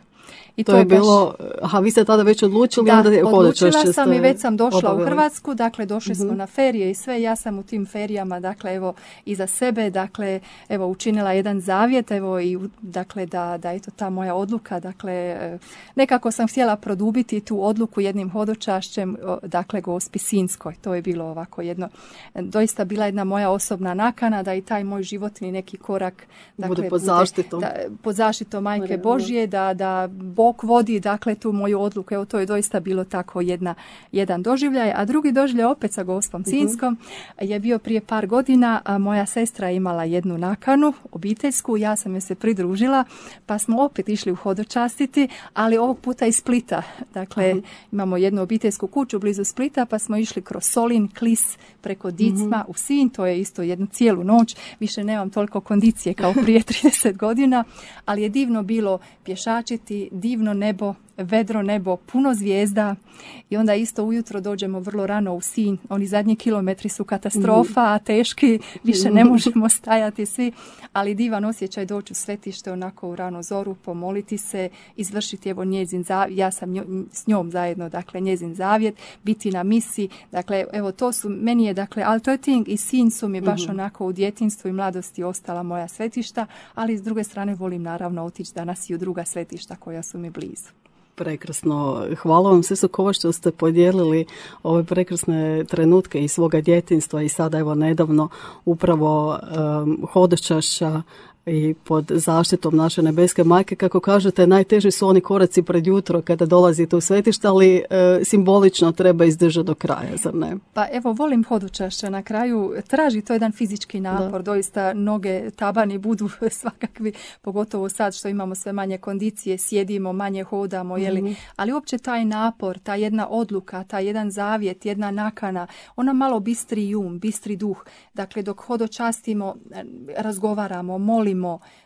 I to je bilo, vi ste tada već odlučili? Da, onda odlučila sam i već sam došla u Hrvatsku, dakle došli smo na ferije i sve, ja sam u tim ferijama, dakle evo iza sebe, dakle evo učinila jedan zavjet, evo i dakle da eto ta moja odluka, dakle nekako sam htjela produbiti tu odluku jednim hodočašćem, dakle Gospi Sinjskoj. To je bilo ovako jedno, doista bila jedna moja osobna nakana da i taj moj životni neki korak, dakle bude pod zaštitom Majke Božje, da Bog vodi, dakle, tu moju odluku. Evo, to je doista bilo tako jedan doživljaj. A drugi doživljaj opet sa Gospom Sinjskom je bio prije par godina. A moja sestra je imala jednu nakanu, obiteljsku, ja sam joj se pridružila, pa smo opet išli u hodočastiti, ali ovog puta iz Splita. Dakle, imamo jednu obiteljsku kuću blizu Splita, pa smo išli kroz Solin, Klis, preko Dicma u Sinj. To je isto jednu cijelu noć. Više nemam toliko kondicije kao prije 30 godina, ali je divno bilo pješačiti, divno nebo, vedro nebo, puno zvijezda i onda isto ujutro dođemo vrlo rano u Sinj. Oni zadnji kilometri su katastrofa, teški, više ne možemo stajati svi, ali divan osjećaj doći u svetište onako u ranu zoru, pomoliti se, izvršiti evo njezin zavjet, ja sam s njom zajedno, dakle njezin zavjet, biti na misi, dakle evo to su, meni je dakle Altötting i Sinj su mi baš onako u djetinjstvu i mladosti ostala moja svetišta, ali s druge strane volim naravno otići danas i u druga svetišta koja su mi blizu. Prekrasno. Hvala vam sve Kova što ste podijelili ove prekrasne trenutke iz svoga djetinjstva i sada evo nedavno upravo hodočašća i pod zaštitom naše nebeske majke. Kako kažete, najteži su oni koraci pred jutro kada dolazite u svetište, ali simbolično treba izdržati do kraja, zar ne? Pa evo, volim hodočašća. Na kraju traži to jedan fizički napor. Doista noge, tabani budu svakakvi, pogotovo sad što imamo sve manje kondicije, sjedimo, manje hodamo, ali uopće taj napor, ta jedna odluka, taj jedan zavjet, jedna nakana, ona malo bistri bistri duh. Dakle, dok hodočastimo, razgovaramo, molimo.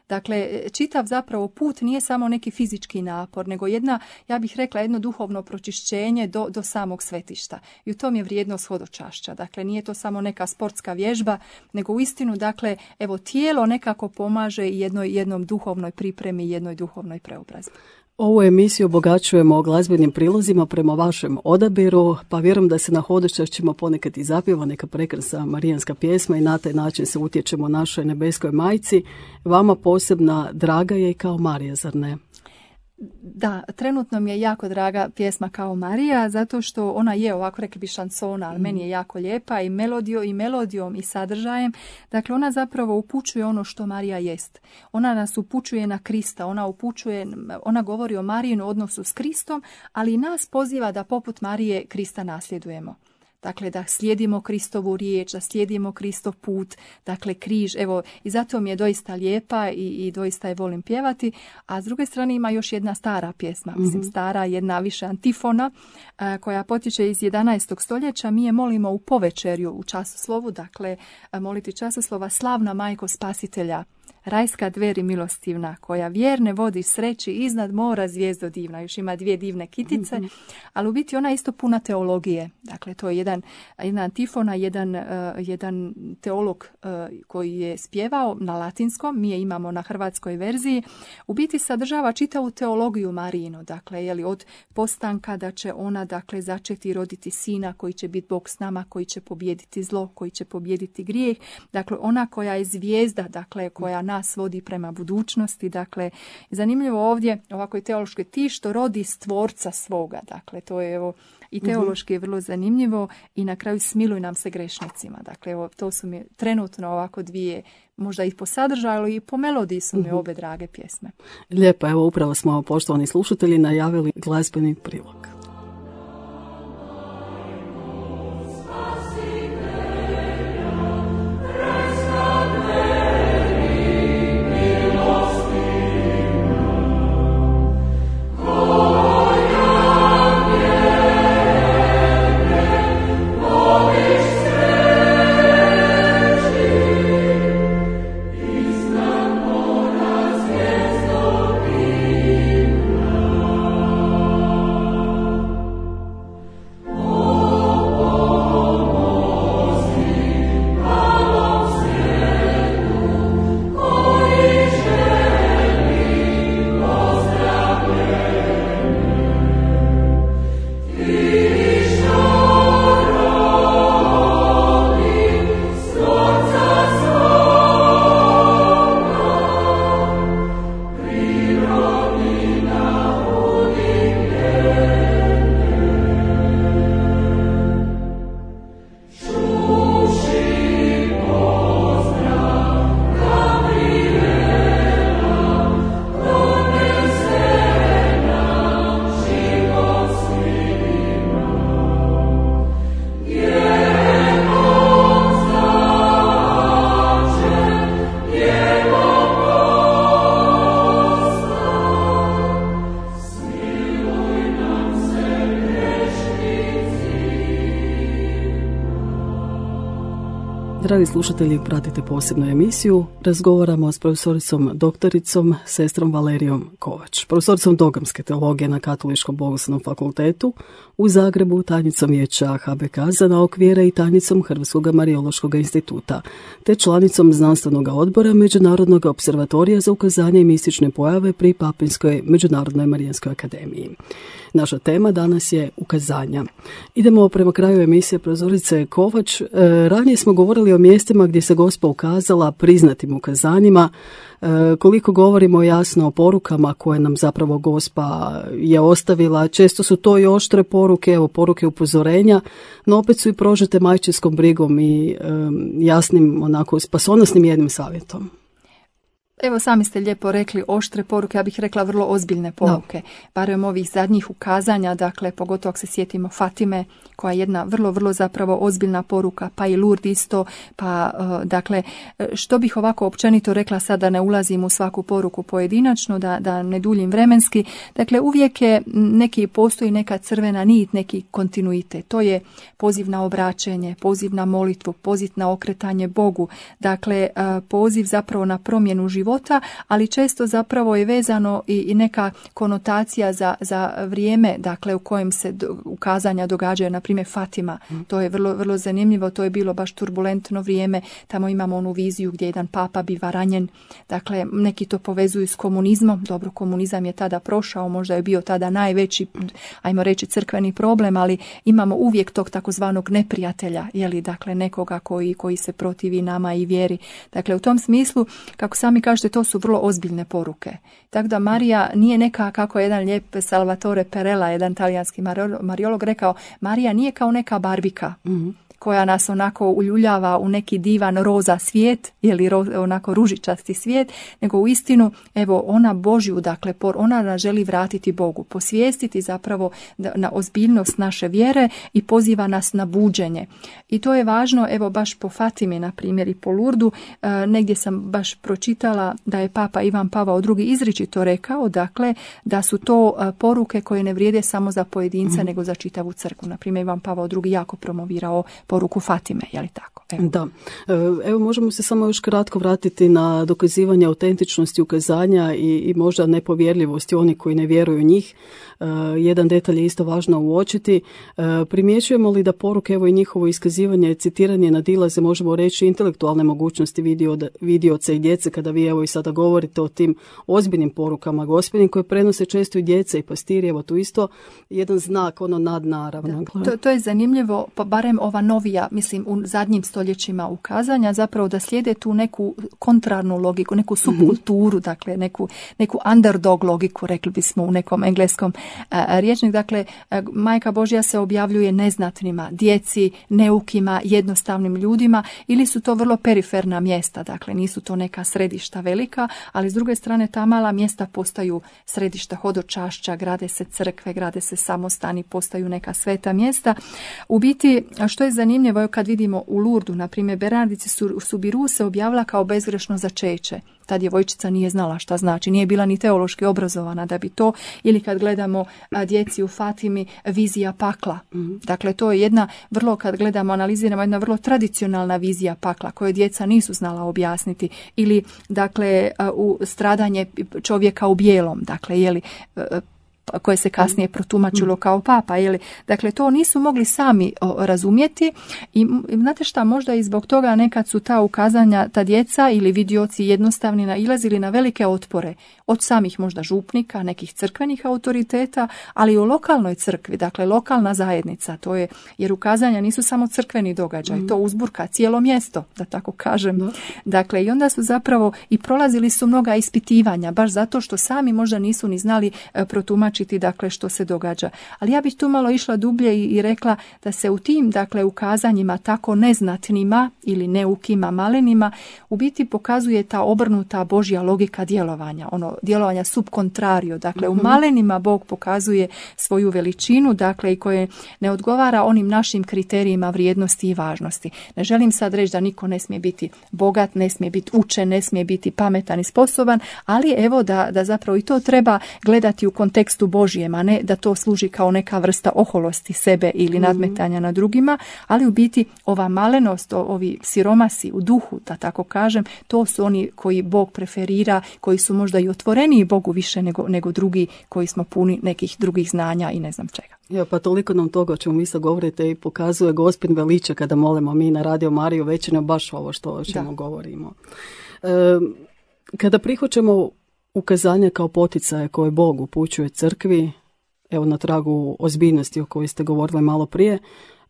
Dakle, čitav zapravo put nije samo neki fizički napor, nego ja bih rekla, jedno duhovno pročišćenje do samog svetišta. I u tom je vrijednost hodočašća. Dakle, nije to samo neka sportska vježba, nego uistinu, dakle, evo, tijelo nekako pomaže jednom duhovnoj pripremi, jednoj duhovnoj preobrazbi. Ovu emisiju obogaćujemo glazbenim prilozima prema vašem odabiru, pa vjerujem da se na hodočašćima ponekad i zapjeva neka prekrasna marijanska pjesma i na taj način se utječemo našoj nebeskoj majci. Vama posebna draga je i kao Marija, zar ne? Da, trenutno mi je jako draga pjesma Kao Marija, zato što ona je ovako, rekli bi, šansona, ali meni je jako lijepa i melodijom i sadržajem. Dakle, ona zapravo upućuje ono što Marija jest. Ona nas upućuje na Krista, ona govori o Marijinu odnosu s Kristom, ali i nas poziva da poput Marije Krista nasljedujemo. Dakle, da slijedimo Kristovu riječ, da slijedimo Kristov put, dakle križ, evo, i zato mi je doista lijepa i doista je volim pjevati. A s druge strane ima još jedna stara pjesma, stara, jedna više antifona, koja potječe iz 11. stoljeća. Mi je molimo u povečerju, u časoslovu, dakle, moliti časoslova: Slavna majko spasitelja, rajska dveri milostivna, koja vjerne vodi sreći iznad mora zvijezdo divna. Još ima dvije divne kitice, ali u biti ona je isto puna teologije. Dakle, to je jedna antifona, jedan teolog koji je spjevao na latinskom, mi je imamo na hrvatskoj verziji. U biti sadržava čitavu teologiju Marijinu. Dakle, od postanka da će ona, dakle, začeti roditi sina koji će biti Bog s nama, koji će pobijediti zlo, koji će pobijediti grijeh. Dakle, ona koja je zvijezda, dakle, koja koja nas vodi prema budućnosti. Dakle, zanimljivo ovdje, ovako je teološki, ti što rodi stvorca svoga. Dakle, to je evo i teološki je vrlo zanimljivo i na kraju smiluj nam se grešnicima. Dakle, evo, to su mi trenutno ovako dvije, možda i po sadržaju, ali i po melodiji su mi obe drage pjesme. Lijepo, evo upravo smo, poštovani slušatelji, najavili glazbeni prilog. Dragi slušatelji, pratite posebnu emisiju. Razgovaramo s profesoricom doktoricom, sestrom Valerijom Kovač, profesoricom dogmske teologije na Katoličkom bogoslovnom fakultetu u Zagrebu, tajnicom vijeća HBK za nauku vjere i tajnicom Hrvatskog Marijološkog instituta, te članicom znanstvenog odbora Međunarodnog observatorija za ukazanje i mistične pojave pri Papinskoj Međunarodnoj Marijanskoj akademiji. Naša tema danas je ukazanja. Idemo prema kraju emisije profesorice Kovač. Ranije smo govorili o mjestima gdje se Gospa ukazala priznatim ukazanjima. Koliko govorimo jasno o porukama koje nam zapravo Gospa je ostavila, često su to i oštre poruke, evo poruke upozorenja, no opet su i prožete majčinskom brigom i jasnim, onako spasonosnim jednim savjetom. Evo, sami ste lijepo rekli oštre poruke, ja bih rekla vrlo ozbiljne poruke. Barem ovih zadnjih ukazanja, dakle, pogotovo ako se sjetimo Fatime, koja je jedna vrlo, vrlo zapravo ozbiljna poruka, pa i Lourdes isto, pa dakle, što bih ovako općenito rekla, sada ne ulazim u svaku poruku pojedinačno, da ne duljim vremenski, dakle, uvijek je postoji neka crvena nit, neki kontinuitet, to je poziv na obraćenje, poziv na molitvu, poziv na okretanje Bogu, dakle, poziv zapravo na promjenu života, ali često zapravo je vezano i neka konotacija za vrijeme, dakle, u kojem se ukazanja događaju, na primjer Fatima. To je vrlo, vrlo zanimljivo, to je bilo baš turbulentno vrijeme, tamo imamo onu viziju gdje jedan papa biva ranjen, dakle, neki to povezuju s komunizmom, dobro, komunizam je tada prošao, možda je bio tada najveći, ajmo reći, crkveni problem, ali imamo uvijek tog takozvanog neprijatelja, dakle, nekoga koji se protivi nama i vjeri. Dakle, u tom smislu, kako sami kažete, to su vrlo ozbiljne poruke. Tako da Marija nije neka, kako je jedan lijep Salvatore Perella, jedan talijanski mariolog rekao, Marija nije kao neka barbika koja nas onako uljuljava u neki divan roza svijet, onako ružičasti svijet, nego u istinu, evo, ona Božju, dakle, ona nas želi vratiti Bogu, posvijestiti zapravo na ozbiljnost naše vjere i poziva nas na buđenje. I to je važno, evo, baš po Fatimi, na primjer, i po Lurdu, negdje sam baš pročitala da je Papa Ivan Pavao II izričito rekao, dakle, da su to poruke koje ne vrijede samo za pojedinca, nego za čitavu crkvu. Na primjer, Ivan Pavao II jako promovirao poruku Fatime, je li tako? Evo. Da. Evo, možemo se samo još kratko vratiti na dokazivanje autentičnosti ukazanja i možda nepovjerljivosti onih koji ne vjeruju u njih. Jedan detalj je isto važno uočiti. Primjećujemo li da poruke, evo, i njihovo iskazivanje, citiranje nadilaze, možemo reći, intelektualne mogućnosti vidioca i djece, kada vi evo i sada govorite o tim ozbiljnim porukama Gospodin koje prenose često i djeca i pastiri, evo tu isto jedan znak nadnaravno. To je zanimljivo, pa barem ova novija, mislim u zadnjim stoljećima ukazanja, zapravo da slijede tu neku kontrarnu logiku, neku subkulturu, dakle neku underdog logiku, rekli bismo u nekom engleskom rječniku. Dakle, Majka Božja se objavljuje neznatnima, djeci, neukima, jednostavnim ljudima, ili su to vrlo periferna mjesta, dakle nisu to neka središta velika, ali s druge strane ta mala mjesta postaju središta hodočašća, grade se crkve, grade se samostani, postaju neka sveta mjesta. U biti, što je zanimljivo, kad vidimo u Lurdu, na primjer, Bernardici Subiru se objavila kao bezgrešno začeće. Ta djevojčica nije znala šta znači, nije bila ni teološki obrazovana da bi to, ili kad gledamo djeci u Fatimi, vizija pakla. Dakle, to je jedna vrlo, kad gledamo, analiziramo, jedna vrlo tradicionalna vizija pakla koju djeca nisu znala objasniti, ili dakle u stradanje čovjeka u bijelom, dakle koje se kasnije protumačilo kao papa. Dakle, to nisu mogli sami razumjeti i znate šta, možda i zbog toga nekad su ta ukazanja, ta djeca ili vidioci jednostavni nailazili na velike otpore od samih možda župnika, nekih crkvenih autoriteta, ali u lokalnoj crkvi, dakle lokalna zajednica, to je, jer ukazanja nisu samo crkveni događaj, to uzburka cijelo mjesto, da tako kažem. Dakle, i onda su zapravo i prolazili su mnoga ispitivanja, baš zato što sami možda nisu ni znali protumačiti, dakle, što se događa. Ali ja bih tu malo išla dublje i rekla da se u tim, dakle, ukazanjima tako neznatnima ili neukima, malenima, u biti pokazuje ta obrnuta Božja logika djelovanja, djelovanja subkontrario. Dakle, u malenima Bog pokazuje svoju veličinu, dakle, i koje ne odgovara onim našim kriterijima vrijednosti i važnosti. Ne želim sad reći da niko ne smije biti bogat, ne smije biti učen, ne smije biti pametan i sposoban, ali evo da zapravo i to treba gledati u kontekstu Božijem, a ne da to služi kao neka vrsta oholosti sebe ili nadmetanja na drugima, ali u biti ova malenost, ovi siromasi u duhu, da tako kažem, to su oni koji Bog preferira, koji su možda i otvoreniji Bogu više nego drugi koji smo puni nekih drugih znanja i ne znam čega. Ja, pa toliko nam toga o čemu vi sad govorite i pokazuje Gospodin veliča kada molimo mi na Radio Mariju većina baš ovo o čemu govorimo. Kada prihvaćamo ukazanja kao poticaje koje Bog upućuje crkvi, evo na tragu ozbiljnosti o kojoj ste govorili malo prije,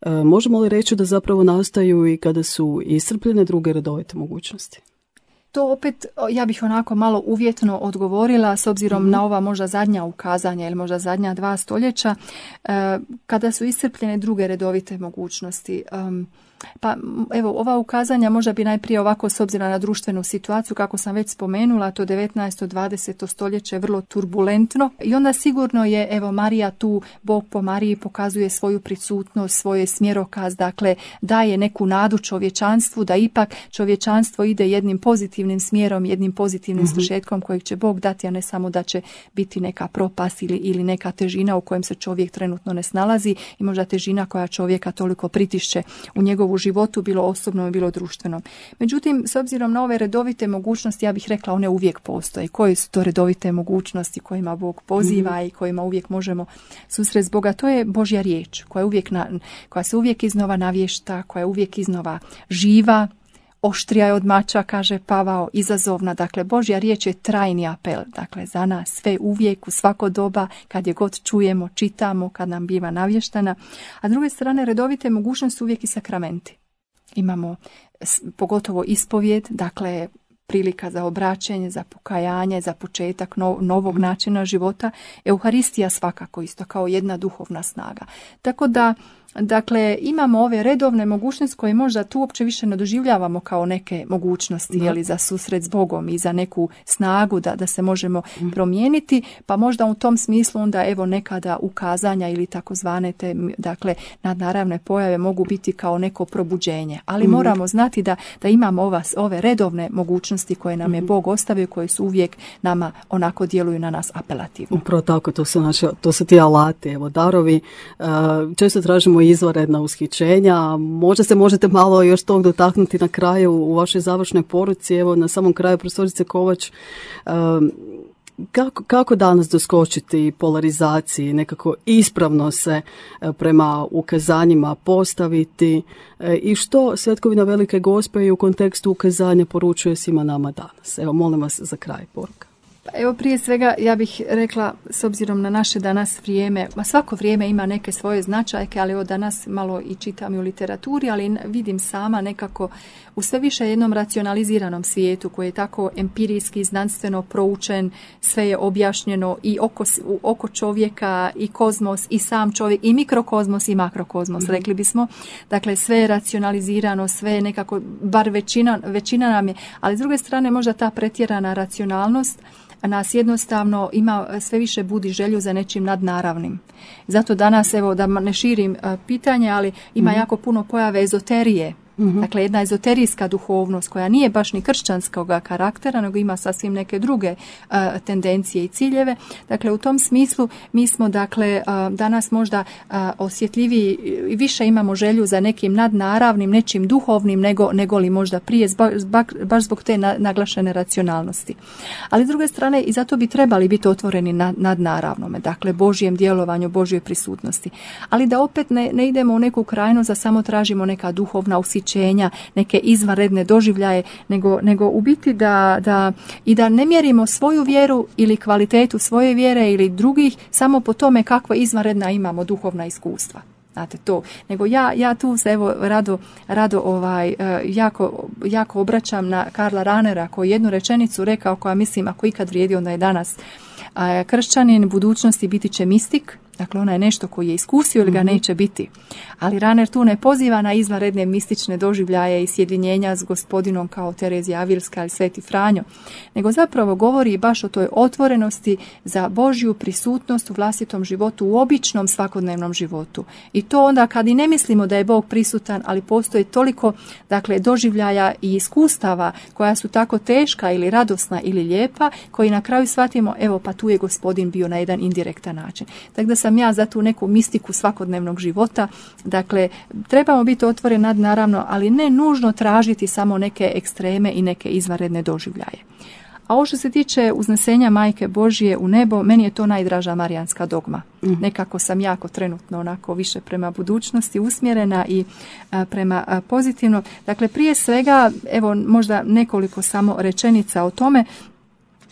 možemo li reći da zapravo nastaju i kada su iscrpljene druge redovite mogućnosti? To opet, ja bih onako malo uvjetno odgovorila s obzirom na ova možda zadnja ukazanja ili možda zadnja 2 stoljeća, kada su iscrpljene druge redovite mogućnosti. Pa evo, ova ukazanja možda bi najprije ovako s obzirom na društvenu situaciju, kako sam već spomenula, to 19. 20. stoljeće je vrlo turbulentno i onda sigurno je, evo, Marija tu, Bog po Mariji pokazuje svoju prisutnost, svoj smjerokaz, dakle daje neku nadu čovječanstvu da ipak čovječanstvo ide jednim pozitivnim smjerom, jednim pozitivnim svršetkom kojeg će Bog dati, a ne samo da će biti neka propast ili neka težina u kojem se čovjek trenutno ne snalazi i možda težina koja čovjeka toliko pritišće u njegovu životu, bilo osobno, bilo društveno. Međutim, s obzirom na ove redovite mogućnosti, ja bih rekla one uvijek postoje. Koje su to redovite mogućnosti kojima Bog poziva i kojima uvijek možemo susresti Boga? To je Božja riječ koja se uvijek iznova navješta, koja je uvijek iznova živa, oštrija je od mača, kaže Pavao, izazovna. Dakle, Božja riječ je trajni apel. Dakle, za nas sve uvijek, u svako doba, kad je god čujemo, čitamo, kad nam biva navještana. A s druge strane, redovite mogućnosti uvijek i sakramenti. Imamo pogotovo ispovijed, dakle, prilika za obraćenje, za pokajanje, za početak novog načina života. Euharistija svakako isto kao jedna duhovna snaga. Tako da, dakle, imamo ove redovne mogućnosti koje možda tu uopće više ne doživljavamo kao neke mogućnosti, jeli, za susret s Bogom i za neku snagu da se možemo promijeniti, pa možda u tom smislu onda evo nekada ukazanja ili takozvane te, dakle, nadnaravne pojave mogu biti kao neko probuđenje, ali moramo znati da imamo ove redovne mogućnosti koje nam je Bog ostavio, koje su uvijek nama onako djeluju na nas apelativno. Upravo tako, to su ti alati, evo, darovi. Često tražimo izvanredna ushićenja. Možda se možete malo još tog dotaknuti na kraju u vašoj završnoj poruci. Evo, na samom kraju, profesorice Kovač, Kako danas doskočiti polarizaciji, nekako ispravno se prema ukazanjima postaviti i što Svetkovina Velike Gospe i u kontekstu ukazanja poručuje svima nama danas? Evo, molim vas za kraj poruka. Evo, prije svega ja bih rekla, s obzirom na naše danas vrijeme, svako vrijeme ima neke svoje značajke, ali evo danas malo i čitam i u literaturi, ali vidim sama nekako u sve više jednom racionaliziranom svijetu koji je tako empirijski, znanstveno proučen, sve je objašnjeno i oko čovjeka i kozmos i sam čovjek i mikrokozmos i makrokozmos, rekli bismo. Dakle, sve je racionalizirano, sve je nekako, bar većina nam je, ali s druge strane možda ta pretjerana racionalnost nas jednostavno sve više budi želju za nečim nadnaravnim. Zato danas, evo, da ne širim pitanje, ali ima jako puno pojave ezoterije. Dakle, jedna ezoterijska duhovnost koja nije baš ni kršćanskog karaktera, nego ima sasvim neke druge tendencije i ciljeve. Dakle, u tom smislu mi smo, dakle, danas možda osjetljiviji i više imamo želju za nekim nadnaravnim, nečim duhovnim nego li možda prije, baš zbog te naglašene racionalnosti. Ali s druge strane i zato bi trebali biti otvoreni nadnaravnome, dakle, Božjem djelovanju, Božjoj prisutnosti. Ali da opet ne idemo u neku krajnost da samo tražimo neka duhovna ushićenja, neke izvanredne doživljaje, nego u biti da ne mjerimo svoju vjeru ili kvalitetu svoje vjere ili drugih samo po tome kakva izvanredna imamo duhovna iskustva. Znate to, nego ja tu se evo rado jako obraćam na Karla Ranera koji jednu rečenicu rekao koja mislim ako ikad vrijedi onda je danas. Kršćanin budućnosti biti će mistik, dakle ona je nešto koji je iskusio ili ga neće biti. Ali Raner tu ne poziva na izvanredne mistične doživljaje i sjedinjenja s Gospodinom kao Terezija Avilska ili Sveti Franjo, nego zapravo govori baš o toj otvorenosti za Božju prisutnost u vlastitom životu, u običnom svakodnevnom životu. I to onda kad i ne mislimo da je Bog prisutan, ali postoji toliko, dakle, doživljaja i iskustava koja su tako teška ili radosna ili lijepa, koji na kraju shvatimo, evo pa tu je Gospodin bio na jedan indirektan način. Tako da sam ja za tu neku mistiku svakodnevnog života. Dakle, trebamo biti otvoreni naravno, ali ne nužno tražiti samo neke ekstreme i neke izvanredne doživljaje. A ovo što se tiče uznesenja Majke Božje u nebo, meni je to najdraža marijanska dogma. Nekako sam jako trenutno onako više prema budućnosti usmjerena i prema pozitivno. Dakle, prije svega, evo možda nekoliko samo rečenica o tome.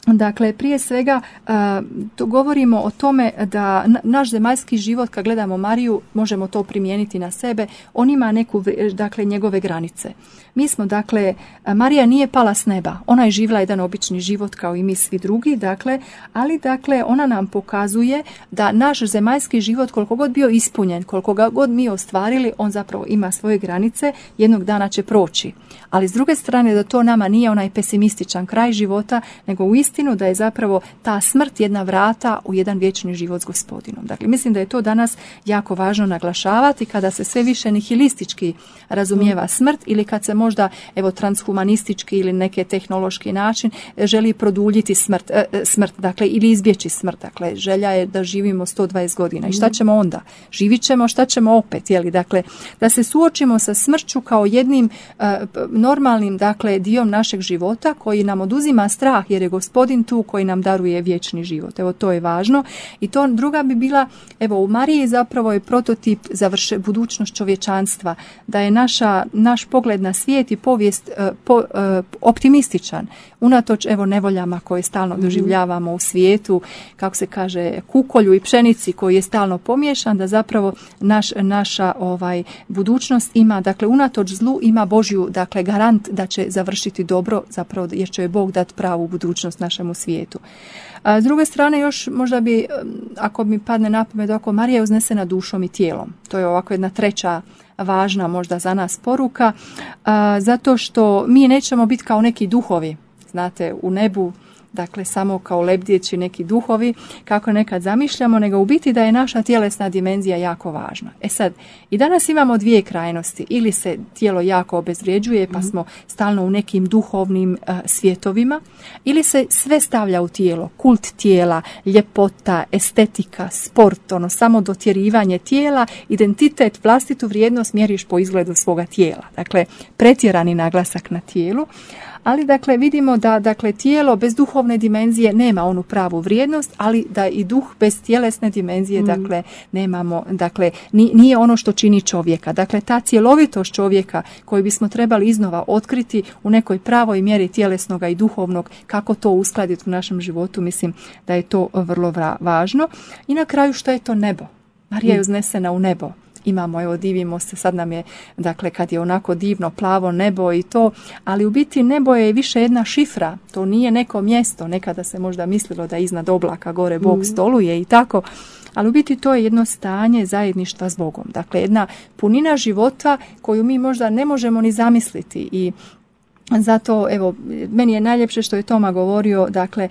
Dakle, prije svega govorimo o tome da naš zemaljski život, kad gledamo Mariju, možemo to primijeniti na sebe, on ima dakle, njegove granice. Mi smo, dakle, Marija nije pala s neba, ona je živjela jedan obični život kao i mi svi drugi, dakle, ali dakle, ona nam pokazuje da naš zemaljski život, koliko god bio ispunjen, koliko god mi ostvarili, on zapravo ima svoje granice, jednog dana će proći. Ali s druge strane da to nama nije onaj pesimističan kraj života, nego uistinu da je zapravo ta smrt jedna vrata u jedan vječni život s Gospodinom. Dakle, mislim da je to danas jako važno naglašavati kada se sve više nihilistički razumijeva smrt ili kad se možda evo transhumanistički ili neki tehnološki način želi produljiti smrt, dakle, ili izbjeći smrt. Dakle, želja je da živimo 120 godina. I šta ćemo onda? Živit ćemo, šta ćemo opet? Jeli? Dakle, da se suočimo sa smrću kao jednim normalnim, dakle, dijom našeg života koji nam oduzima strah jer je Gospodin tu koji nam daruje vječni život. Evo, to je važno. I to druga bi bila, evo, u Mariji zapravo je prototip za budućnost čovječanstva, da je naš pogled na svijet i povijest optimističan. Unatoč, evo, nevoljama koje stalno doživljavamo u svijetu, kako se kaže, kukolju i pšenici koji je stalno pomiješan, da zapravo naša budućnost ima, dakle, unatoč zlu ima Božju, dakle, garant da će završiti dobro, zapravo jer će Bog dati pravu budućnost našemu svijetu. A s druge strane, još možda bi, ako mi padne na pamet, ako Marija je uznesena dušom i tijelom. To je ovako jedna treća važna možda za nas poruka, zato što mi nećemo biti kao neki duhovi, znate, u nebu, dakle samo kao lebdjeći neki duhovi, kako nekad zamišljamo, nego u biti da je naša tjelesna dimenzija jako važna. E sad, i danas imamo dvije krajnosti, ili se tijelo jako obezvrijeđuje, pa smo stalno u nekim duhovnim svjetovima, ili se sve stavlja u tijelo, kult tijela, ljepota, estetika, sport, samo dotjerivanje tijela, identitet, vlastitu vrijednost mjeriš po izgledu svoga tijela. Dakle, pretjerani naglasak na tijelu. Ali, dakle, vidimo da, dakle, tijelo bez duhovnog duhovne dimenzije nema onu pravu vrijednost, ali da i duh bez tjelesne dimenzije, dakle, nemamo, dakle, nije ono što čini čovjeka. Dakle, ta cjelovitost čovjeka koju bismo trebali iznova otkriti u nekoj pravoj mjeri tjelesnoga i duhovnog, kako to uskladiti u našem životu, mislim da je to vrlo važno. I na kraju, što je to nebo? Marija je uznesena u nebo. Imamo, evo, divimo se, sad nam je, dakle, kad je onako divno plavo nebo i to, ali u biti nebo je više jedna šifra, to nije neko mjesto, nekada se možda mislilo da iznad oblaka gore Bog stoluje i tako, ali u biti to je jedno stanje zajedništva s Bogom, dakle, jedna punina života koju mi možda ne možemo ni zamisliti. I zato, evo, meni je najljepše što je Toma govorio, dakle,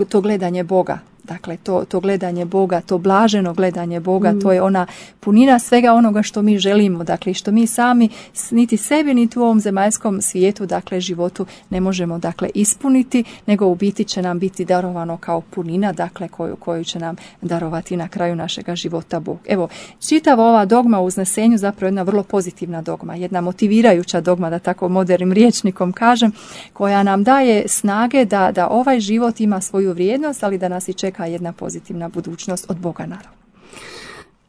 to gledanje Boga. Dakle, to gledanje Boga, to blaženo gledanje Boga, to je ona punina svega onoga što mi želimo, dakle, što mi sami niti sebi, niti u ovom zemaljskom svijetu, dakle, životu ne možemo, dakle, ispuniti, nego u biti će nam biti darovano kao punina, dakle, koju će nam darovati na kraju našega života Bog. Evo, čitava ova dogma u uznesenju zapravo jedna vrlo pozitivna dogma, jedna motivirajuća dogma, da tako modernim rječnikom kažem, koja nam daje snage da ovaj život ima svoju vrijednost, ali da nas i čeka jedna pozitivna budućnost od Boga, naravno.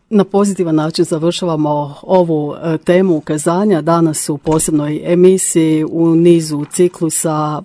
Na pozitivan način završavamo ovu temu ukazanja danas u posebnoj emisiji u nizu ciklusa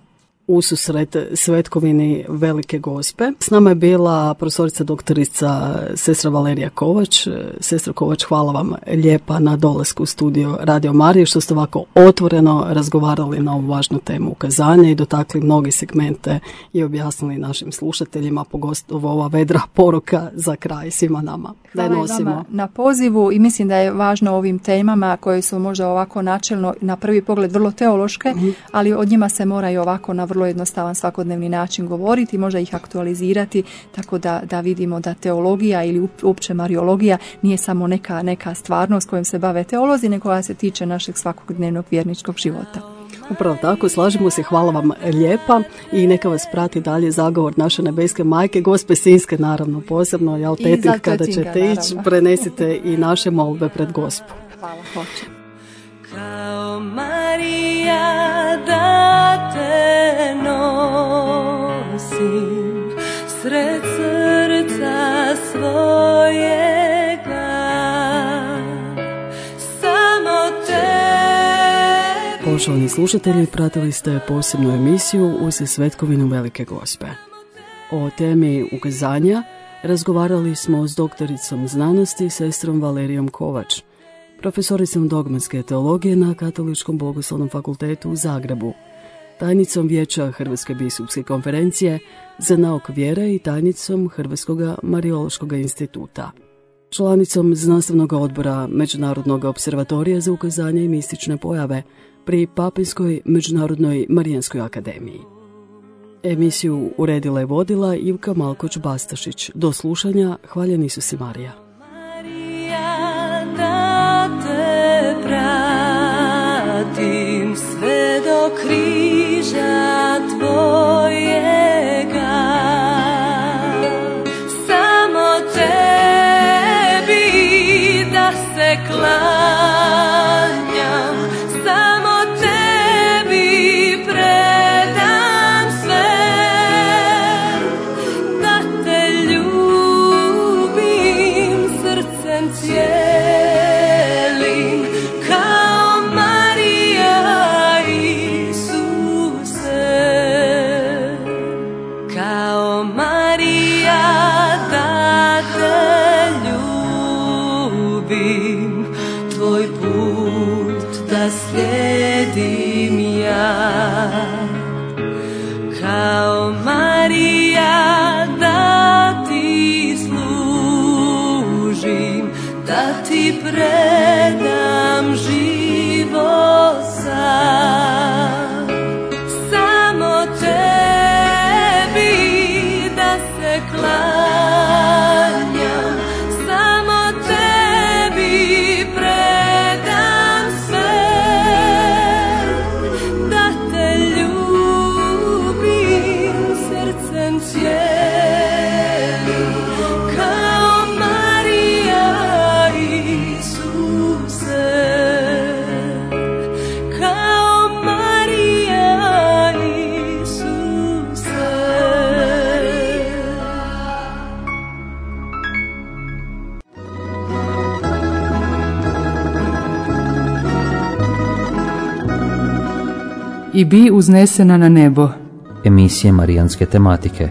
ususret Svetkovini Velike Gospe. S nama je bila profesorica doktorica sestra Valerija Kovač. Sestra Kovač, hvala vam lijepa na dolasku u studio Radio Marije, što ste ovako otvoreno razgovarali na ovu važnu temu ukazanja i dotakli mnogi segmente i objasnili našim slušateljima, pogotovo ova vedra poruka za kraj svima nama. Hvala vama na pozivu i mislim da je važno o ovim temama koje su možda ovako načelno na prvi pogled vrlo teološke, ali od njima se mora i ovako na vrlo jednostavan svakodnevni način govoriti, možda ih aktualizirati, tako da vidimo da teologija ili uopće mariologija nije samo neka stvarnost kojom se bave teolozi, nego koja se tiče našeg svakodnevnog vjerničkog života. Upravo tako, slažemo se, hvala vam lijepa i neka vas prati dalje zagovor naše nebeske majke, Gospe Sinjske, naravno posebno, jel, tetih, kada ćete ići, prenesite i naše molbe pred Gospu. Hvala, hoćem. Kao Marija da te nosim sred srca svojega, samo te. Poštovani slušatelji, pratili ste posebnu emisiju uz Svetkovinu Velike Gospe. O temi ukazanja razgovarali smo s doktoricom znanosti, sestrom Valerijom Kovač, profesoricom dogmatske teologije na Katoličkom bogoslovnom fakultetu u Zagrebu, tajnicom Vijeća Hrvatske biskupske konferencije za nauk vjere i tajnicom Hrvatskog mariološkog instituta, članicom znanstvenog odbora Međunarodnog observatorija za ukazanje i mistične pojave pri Papinskoj međunarodnoj Marijanskoj akademiji. Emisiju uredila i vodila Ivka Malkoć-Bastašić. Do slušanja, hvaljen Isus Marija. Pratim sve do križa tvojega, samo tebi da se klanjam, samo tebi predam sve, da te ljubim srcem cijelim, kao Marija Isuse, kao Marija da te ljubim, tvoj put da slijedim ja, kao Marija da ti služim, da ti predam život sam, samo tebi da se klanjam, samo tebi predam sve, da te ljubim srcem cijelim, kao Marija Isus. i bi uznesena na nebo. Emisije marijanske tematike